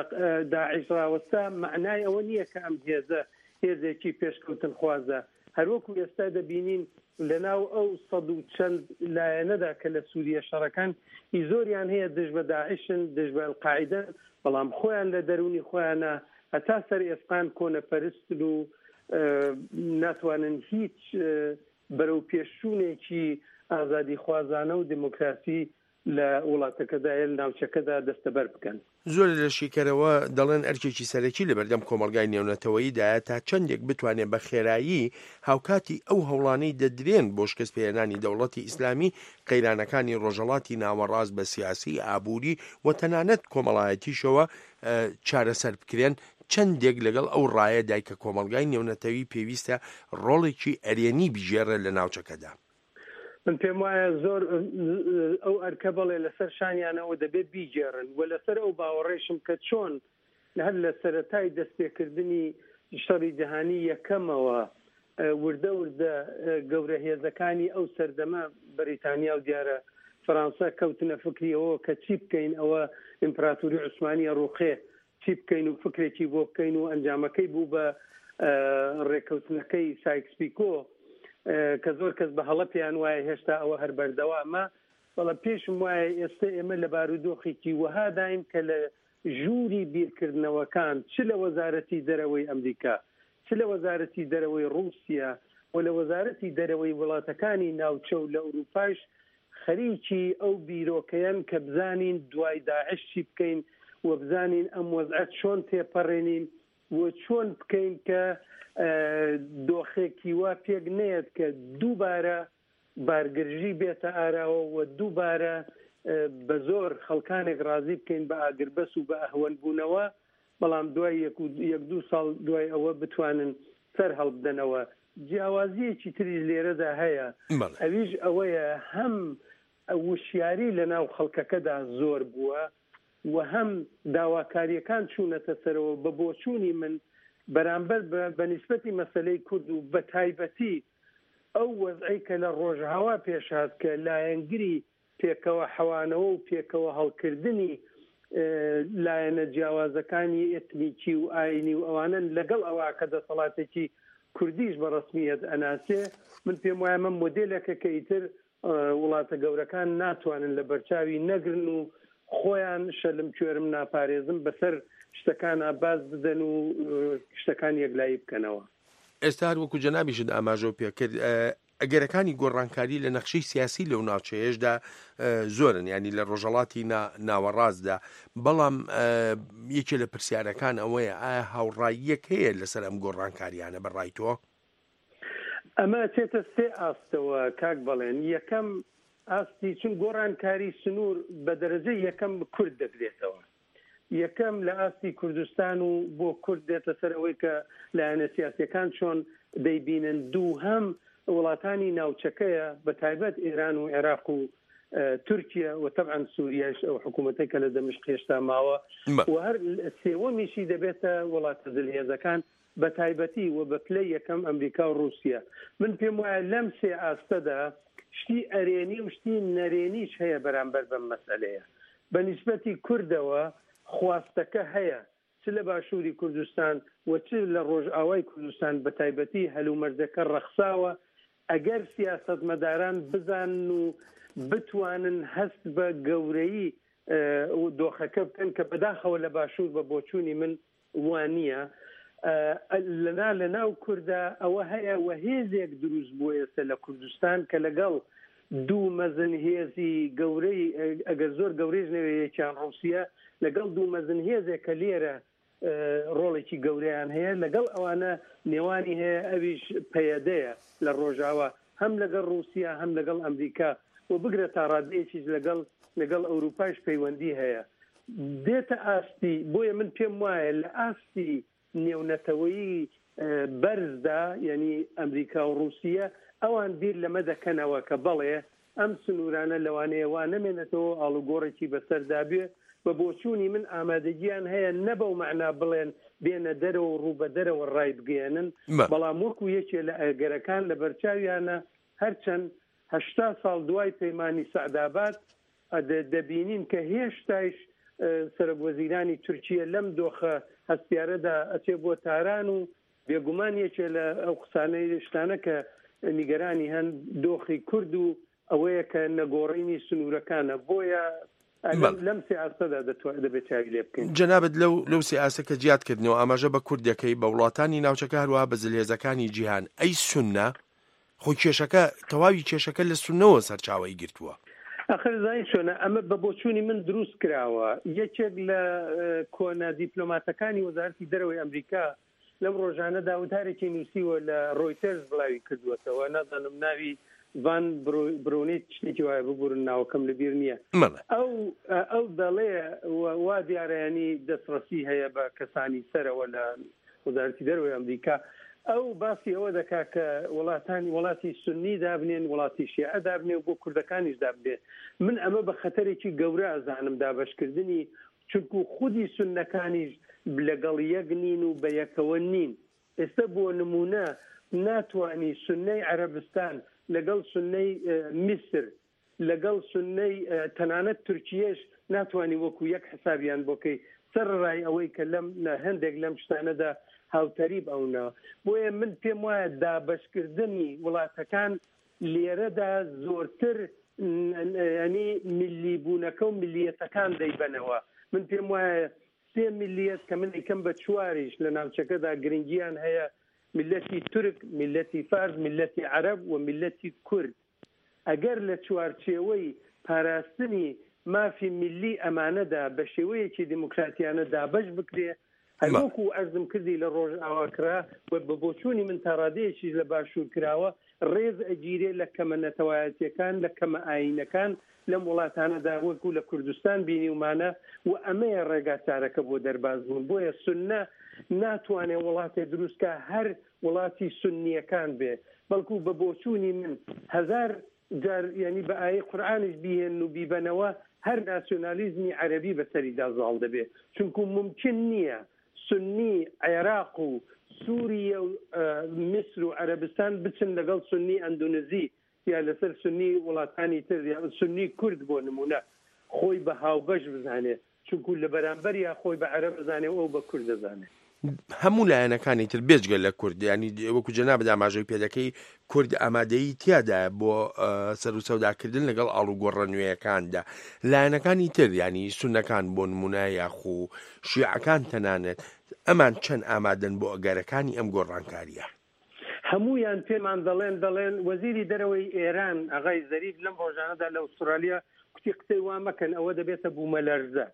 داعش ڕاوەستا مەعنای ئەوە نییە کە ئەم هێزە هێزێکی پێشکەوتنخوازە. هەروەکو ئێستا دەبینین لەناو ئەو سەد و چەند لایەنەدا کە لە سوریە شەڕەکەن ی زۆریان هەیە دژ بە داعشن، دژ بە ئەلقاعیدەن، بەڵام خۆیان لە دەروونی خۆیانا هەتا سەر ئێسقان کۆنەپەرستن و ناتوانن هیچ بەرەوپێشچوونێکی ئازادیخوازانە و دێمۆکراسی. لە وڵاتەکەدا یا لە ناوچەکەدا دەستەبەر بکەن. زۆرێ لە شیکەرەوە دەڵێن ئەرکێکی سەرەکی لەبەردەم کۆمەڵگای نێونەتەوەییدایە تا چەندێک بتوانێ بە خێرایی هاوکاتی ئەو هەوڵانەی دەدرێن بۆ شکستپێهێنانی دەوڵەتی ئیسلامی قەیرانەکانی ڕۆژهەڵاتی ناوەڕاست بە سیاسی، ئابووری و تەنانەت کۆمەڵایەتیشەوە چارەسەر بکرێن، چەندێک لەگەڵ ئەو ڕایەدای کە کۆمەڵگای نێونەتەوی پێویستە ڕۆڵێکی ئەرێنی بگێڕێ لە ناوچەکەدا؟ من پێم وایە زۆر ئەو ئەرکە بەڵێ لەسەر شانیانەوە دەبێت بیگێڕن و لەسەر ئەو باوەڕێشم کە چۆن هەر لە سەرەتای دەستپێکردنی شەڕی جیهانی یەکەمەوە وردە وردە گەورە هێزەکانی ئەو سەردەمە بەریتانیا و دیارە فەرانسە کەوتنە فکری ئەوە کە چی بکەین ئەوە ئیمپراتوری عوسمانیە ڕووخێ چی بکەین و فکرێکی بۆ بکەین و ئەنجامەکەی بوو بە ڕێککەوتنەکەی سایکس پیکۆ کە زۆر کەس بە هەڵە پێیان وایە هێشتا ئەوە هەر بەردەوامە بەڵام پێشم وایە ئێستا ئێمە لە بارودۆخێکی وەهاداین کە لە ژووری بیرکردنەوەکان چ لە وەزارەتی دەرەوەی ئەمریکا چ لە وەزارەتی دەرەوەی ڕووسیا و لە وەزارەتی دەرەوەی وڵاتەکانی ناوچە و لە ئەوروپاش خەریکی ئەو بیرۆکەیەن کە بزانین دوای داعش چی بکەین و بزانین ئەم وەزعە چۆن تێپەڕێنین و چۆن بکەین کە دۆخێکی وا پێک نەیەت کە دووبارە بارگرژی بێتە ئاراوە و دووبارە بە زۆر خەڵکانێک ڕازی بکەین بە ئاگربەس و بە ئەهوەن بوونەوە، بەڵام دوای یەک و یەک دوو ساڵ دوای ئەوە بتوانن سەر هەڵبدەنەوە. جیاوازییەکی تریش لێرەدا هەیە، ئەویش ئەوەیە هەم وشیاری لە ناو خەڵکەکەدا زۆر بووە و هەم داواکارییەکان چوونەتە سەرەوە، بە بۆچوونی من بەرامبەر بە بە نیسبەتی مەسەلەی کورد و بە تایبەتی ئەو وەزعەی کە لە ڕۆژئاوا پێش هات کە لایەنگری پێکەوە حەوانەوە و پێکەوە هەڵکردنی لایەنە جیاوازەکانی ئێتنیکی و ئاینی و ئەوانەن لەگەڵ ئەوە کە دەسەڵاتێکی کوردیش بە ڕەسمییەت ئەناسێ من پێم وایە ئەمە مۆدێلێکە کە ئیتر وڵاتە گەورەکان ناتوانن لە بەرچاوی نەگرن و خۆیان شەلم کوێرم ناپارێزم بەسەر شتەکانا باز بدەن و شتەکان یەکلایی بکەنەوە. ئێستا هەر وەکو جەنابیشت ئاماژەو پێکرد ئەگەرەکانی گۆڕانکاری لە نەخشەی سیاسی لەو ناوچەیەشدا زۆرن ینی لە ڕۆژەڵاتی ناوەڕاستدا بەڵام یەکێ لە پرسیارەکان ئەوەیە ئایا هاوڕاییەک هەیە لەسەر ئەم گۆڕانکاریانە بە ڕای تۆ؟ ئەمە ئەچێتە سێ ئاستەوە کاک بەڵێن، یەکەم ئاستی چون گۆڕانکاری سنوور بە دەرەجەی یەکەم کورد دەگرێتەوە، یەکەم لە ئاستی کوردستان و بۆ کورد دێتە سەر ئەوەی کە لایەنە سیاسیەکان چۆن دەیبینن، دووهەم وڵاتانی ناوچەکەیە بە تایبەت ئێران و عێراق و تورکیە و تەبعەن سوریایش ئەو حکوومەتەی کە لە دەمشق هێشتا ماوە و هەر سێوەمیشی دەبێتە وڵاتە زلهێزەکان بە تایبەتی و بە پلەی یەکەم ئەمریکا و ڕووسیە. من پێم وایە لەم سێ ئاستەدا شتی ئەرێنی و شتی نەرێنیش هەیە بەرامبەر بەم مەسئەلەیە. بە نیسبەتی کوردەوە خواستەکە هەیە چ لە باشووری کوردستان و چ لە ڕۆژئاوای کوردستان بە تایبەتی هەلومەرجەکە ڕەخساوە ئەگەر سیاسەتمەداران بزانن و بتوانن هەست بە گەورەیی دۆخەکە بکەن کە بەداخەوە لە باشوور بە بۆچوونی من وانییە لەنا لە ناو کوردا ئەوە هەیە و هێزێک دروست بووە ئێستا لە کوردستان کە لەگەڵ دوو مەزن هێزی گەورەی ئەگەر زۆر گەورەیش نەوێ یەکیان ڕووسیە لەگەڵ دوو مەزن هێزێک کە لێرە ڕۆڵێکی گەورەیان هەیە لەگەڵ ئەوانە نێوانی هەیە ئەویش پەیەدەیە لە ڕۆژاوا هەم لەگەڵ ڕووسیا هەم لەگەڵ ئەمریکا و بگرە تا ڕادەیەکیش لەگەڵ لەگەڵ ئەوروپایش پەیوەندی هەیە دێتە ئاستی بۆیە من پێم وایە لە ئاستی نێونەتەوەیی بەرزدا یعنی ئەمریکا و ڕووسیە ئەوان بیر لەمە دەکەنەوە کە بەڵێ ئەم سنوورانە لەوانەیە وا نەمێنێتەوە و ئاڵوگۆڕێکی بەسەردا بێ، بە بۆچوونی من ئامادەگییان هەیە نە بەو مەعنا بڵێن بێنە دەرەوە و ڕوو بە دەرەوە ڕایبگەیەنن، بەڵام وەکوو یەکێ لە ئەگەرەکان لەبەرچاویانە، هەرچەند 80 ساڵ دوای پەیمانی سەعداباد دەبینین کە هێشتایش سەرۆکوەزیرانی تورکیە لەم دۆخە هەستیارەدا ئەچێ بۆ تاران و بێگومان یەکێ لە ئەو قسانەی شتانە کە نیگەرانی هەن دۆخی کورد و ئەوەیە کە نەگۆڕینی سنوورەکانە بۆیە لەم سێ ئاستەدا دەبێت چاوی لێ بکەین. جەنابت لەو لەو سێ ئاستە کە جیات کردنەوە ئاماژە بە کورد دەکەی بە وڵاتانی ناوچەکە هەروەها بە زلهێزەکانی جیهان ئەی سوننە؟ خۆ کێشەکە تەواوی کێشەکە لە سوننەوە سەرچاوەی گرتووە. ئەخر زانی چۆنە ئەمە بە بۆچوونی من دروست کراوە یەکێک لە کۆنە دیپلۆماتەکانی وەزارەتی دەرەوەی ئەمریکا لەم ڕۆژانەدا وتارێکی نووسیوە لە ڕۆیتەرز بڵاوی کردووەتەوە نازانم ناوی ڤان برونیت شتێکی وایە ببورن ناوەکەم لەبیر نییە ئەو ئەو دەڵێ وا دیارە ینی دەستڕەسی هەیە بە کەسانی سەرەوە لە وەزارەتی دەرەوەی ئەمریکا ئەو باسی ئەوە دەکات کە وڵاتانی وڵاتی سنی دابنێن وڵاتی شیعە دابنێ و بۆ کوردەکانیش دابنێ من ئەمە بە خەتەرێکی گەورە ئەزانم دابەشکردنی چونکو خودی سوننەکانیش لەگەڵ یەک نین و بە یەکەوە نین. ئێستا بۆ نموونە ناتوانی سوننەی عەرەبستان لەگەڵ سوننەی میسر لەگەڵ سوننەی تەنانەت تورکیەش ناتوانی وەکو یەک حسابیان بۆ کەی سەرەڕای ئەوەی کە لەم هەندێک لەم شتانەدا هاوتەریب ئەونە. بۆیە من پێم وایە دابەشکردنی وڵاتەکان لێرەدا زۆرتر یانی میللی بوونەکە و میللیەتەکان دەیبەنەوە. من پێم وایە سێ میللیەت کە من ئەیکەم بە چواریش لە ناوچەکەدا گرنگیان هەیە، میللەتی تورک، میللەتی فارس، میللەتی عەرەب و میللەتی کورد. ئەگەر لە چوارچێوەی پاراستنی مافی میللی ئەمانەدا بە شێوەیەکی دیموکراتیانە دابەش بکرێ، هەروەکو عەرزم کردی لە ڕۆژئاوا کرا و بە بۆچوونی من تا ڕادەیەکیش لە باشوور کراوە، ڕێز ئەگیرێ لە کەمە نەتەوایەتیەکان، لە کەمە ئایینەکان لەم وڵاتانەدا وەکو لە کوردستان بینیومانە و ئەمەیە ڕێگا چارەکە بۆ دەرباز بوون. بۆیە سوننە ناتوانێ وڵاتێ دروست کا هەر وڵاتی سوننیەکان بێ، بەڵکو بە بۆچوونی من هەزار جار یانی بە ئایەی قورئانیش بیهێنن و بیبەنەوە هەر ناسیۆنالیزمی عەرەبی بەسەریدا زاڵ دەبێ چونکو مومکین نییە سوننی عێراق و سوریە و میسر و عەرەبستان بچن لەگەڵ سوننی ئەندونزی یا لەسەر سوننی وڵاتانی تر یا سوننی کورد بۆ نمونە خۆی بە هاوبەش بزانێ چونکو لە بەرامبەریا خۆی بە عەرەب ئەزانێ و ئەو بە کورد ئەزانێ. هەموو لایەنەکانی تر بێجگە لە کورد یانی وەکو جەنابت ئاماژەی پێدەکەی کورد ئامادەیی تیادایە بۆ سەر و سەوداکردن لەگەڵ ئاڵوگۆڕە نوێیەکاندا لایەنەکانی تر یانی سونەکان بۆ نمونە یاخو شیعەکان تەنانەت ئەمان چەند ئامادەن بۆ ئەگەرەکانی ئەم گۆڕانکارییە؟ هەموویان پێمان دەڵێن دەڵێن وەزیری دەرەوەی ئێران ئاغای زەریف لەم ڕۆژانەدا لە ئوسترالیا کوتی قسەی وا مەکەن ئەوە دەبێتە بوومەلەرزە.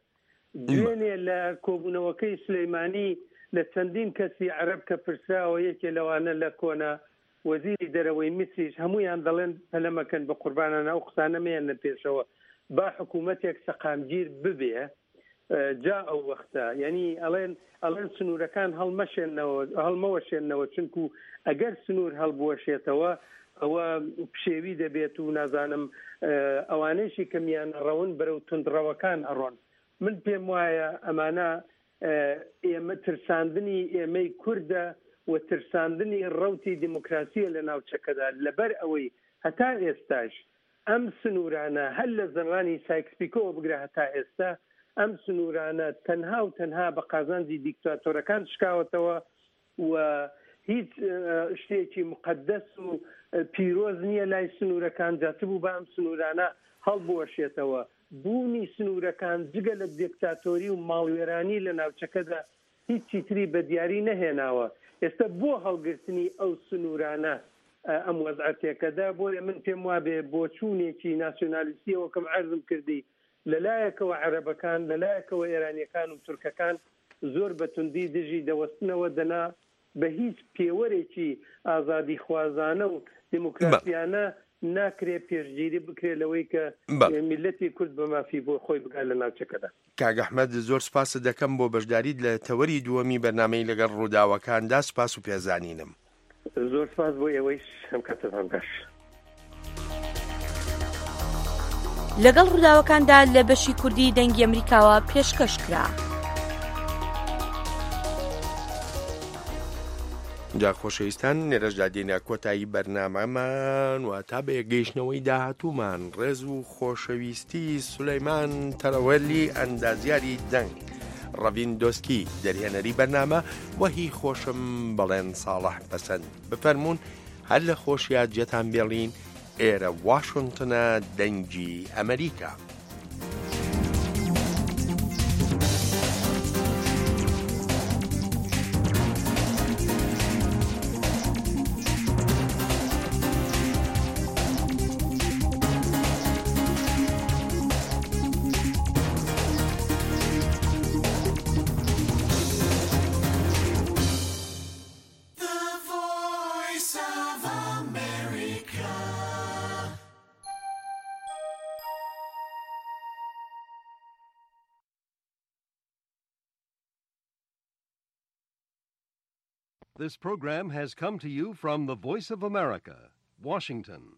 دوێنێ لە کۆبوونەوەکەی سولەیمانی لە چەندین کەسی عەرەب کە پرسراوە یەکێ لەوانە لە کۆنە وەزیری دەرەوەی میسریش هەموویان دەڵێن پەلە مەکەن بە قوربانان ئەو قسانە مەیەنە پێشەوە با حکوومەتێک سەقامگیر ببێ جا ئەو وەختە یعنی ئەڵێن ئەڵێن سنوورەکان هەڵمەشێنەوە هەڵمەوەشێنەوە چونکو ئەگەر سنوور هەڵبوەشێتەوە ئەوە پشێوی دەبێت و نازانم ئەوانەیشی کە میانە ڕەون بەرەو توندڕەوەکان ئەڕۆن من پێم وایە ئەمانە ئێمە ترساندنی ئێمەی کوردە و ترساندنی ڕەوتی دیموکراسیە لە ناوچەکەدا لەبەر ئەوەی هەتا ئێستاش ئەم سنوورانە هەر لە زەمانی سایکس پیکۆوە بگرە هەتا ئێستا ئەم سنوورانە تەنها و تەنها بە قازانجی دیکتاتۆرەکان شکاوەتەوە و هیچ شتێکی موقەدەس و پیرۆز نییە لای سنوورەکان جا چ بوو با ئەم سنوورانە هەڵبوەشێتەوە. بوونی سنوورەکان جگە لە دێکتاتۆری و ماڵوێرانی لە ناوچەکەدا هیچی تری بە دیاری نەهێناوە. ئێستا بۆ هەڵگرتنی ئەو سنوورانە ئەم وەزعە تێکەدا، بۆیە من پێم وابێ بۆچوونێکی ناسیۆنالیستییە وەکم عەرزم کردی لە لایەکەوە عەرەبەکان، لە لایەکەوە ئێرانییەکان و تورکەکان زۆر بە توندی دژی دەوەستنەوە دەنا بە هیچ پێوەرێکی ئازادیخوازانە و دیموکراسیانە ناکرێ پێشگیری بکرێ لەوەی کە میللەتی کورد بە مافی بۆ خۆی بگات لە ناوچەکەدا. کاک ئەحمەد زۆر سپاست دەکەم بۆ بەشداریت لە تەوەری دووەمی بەرنامەی لەگەڵ ڕووداوەکاندا سپاس و پێزانینم. زۆر سپاس بۆ ئێوەیش ئەم کاتەتان باش. لەگەڵ ڕووداوەکاندا لە بەشی کوردی دەنگی ئەمریکاوە پێشکەش کرا. جا خۆشەویستان لێرەشدا دێینە کۆتایی بەرنامەمان و تا بە یەکگەیشتنەوەی داهاتوومان ڕێز و خۆشەویستی سولەیمان تەرەوەلی ئەندازیاری دەنگ ڕەڤین دۆسکی دەرهێنەری بەرنامە و هی خۆشم بەڵێن ساڵح پەسەند بفەرموون هەر لە خۆشیا جێتان بێڵین ئێرە واشنتنە دەنگی ئەمریکا. This program has come to you from the Voice of America, Washington.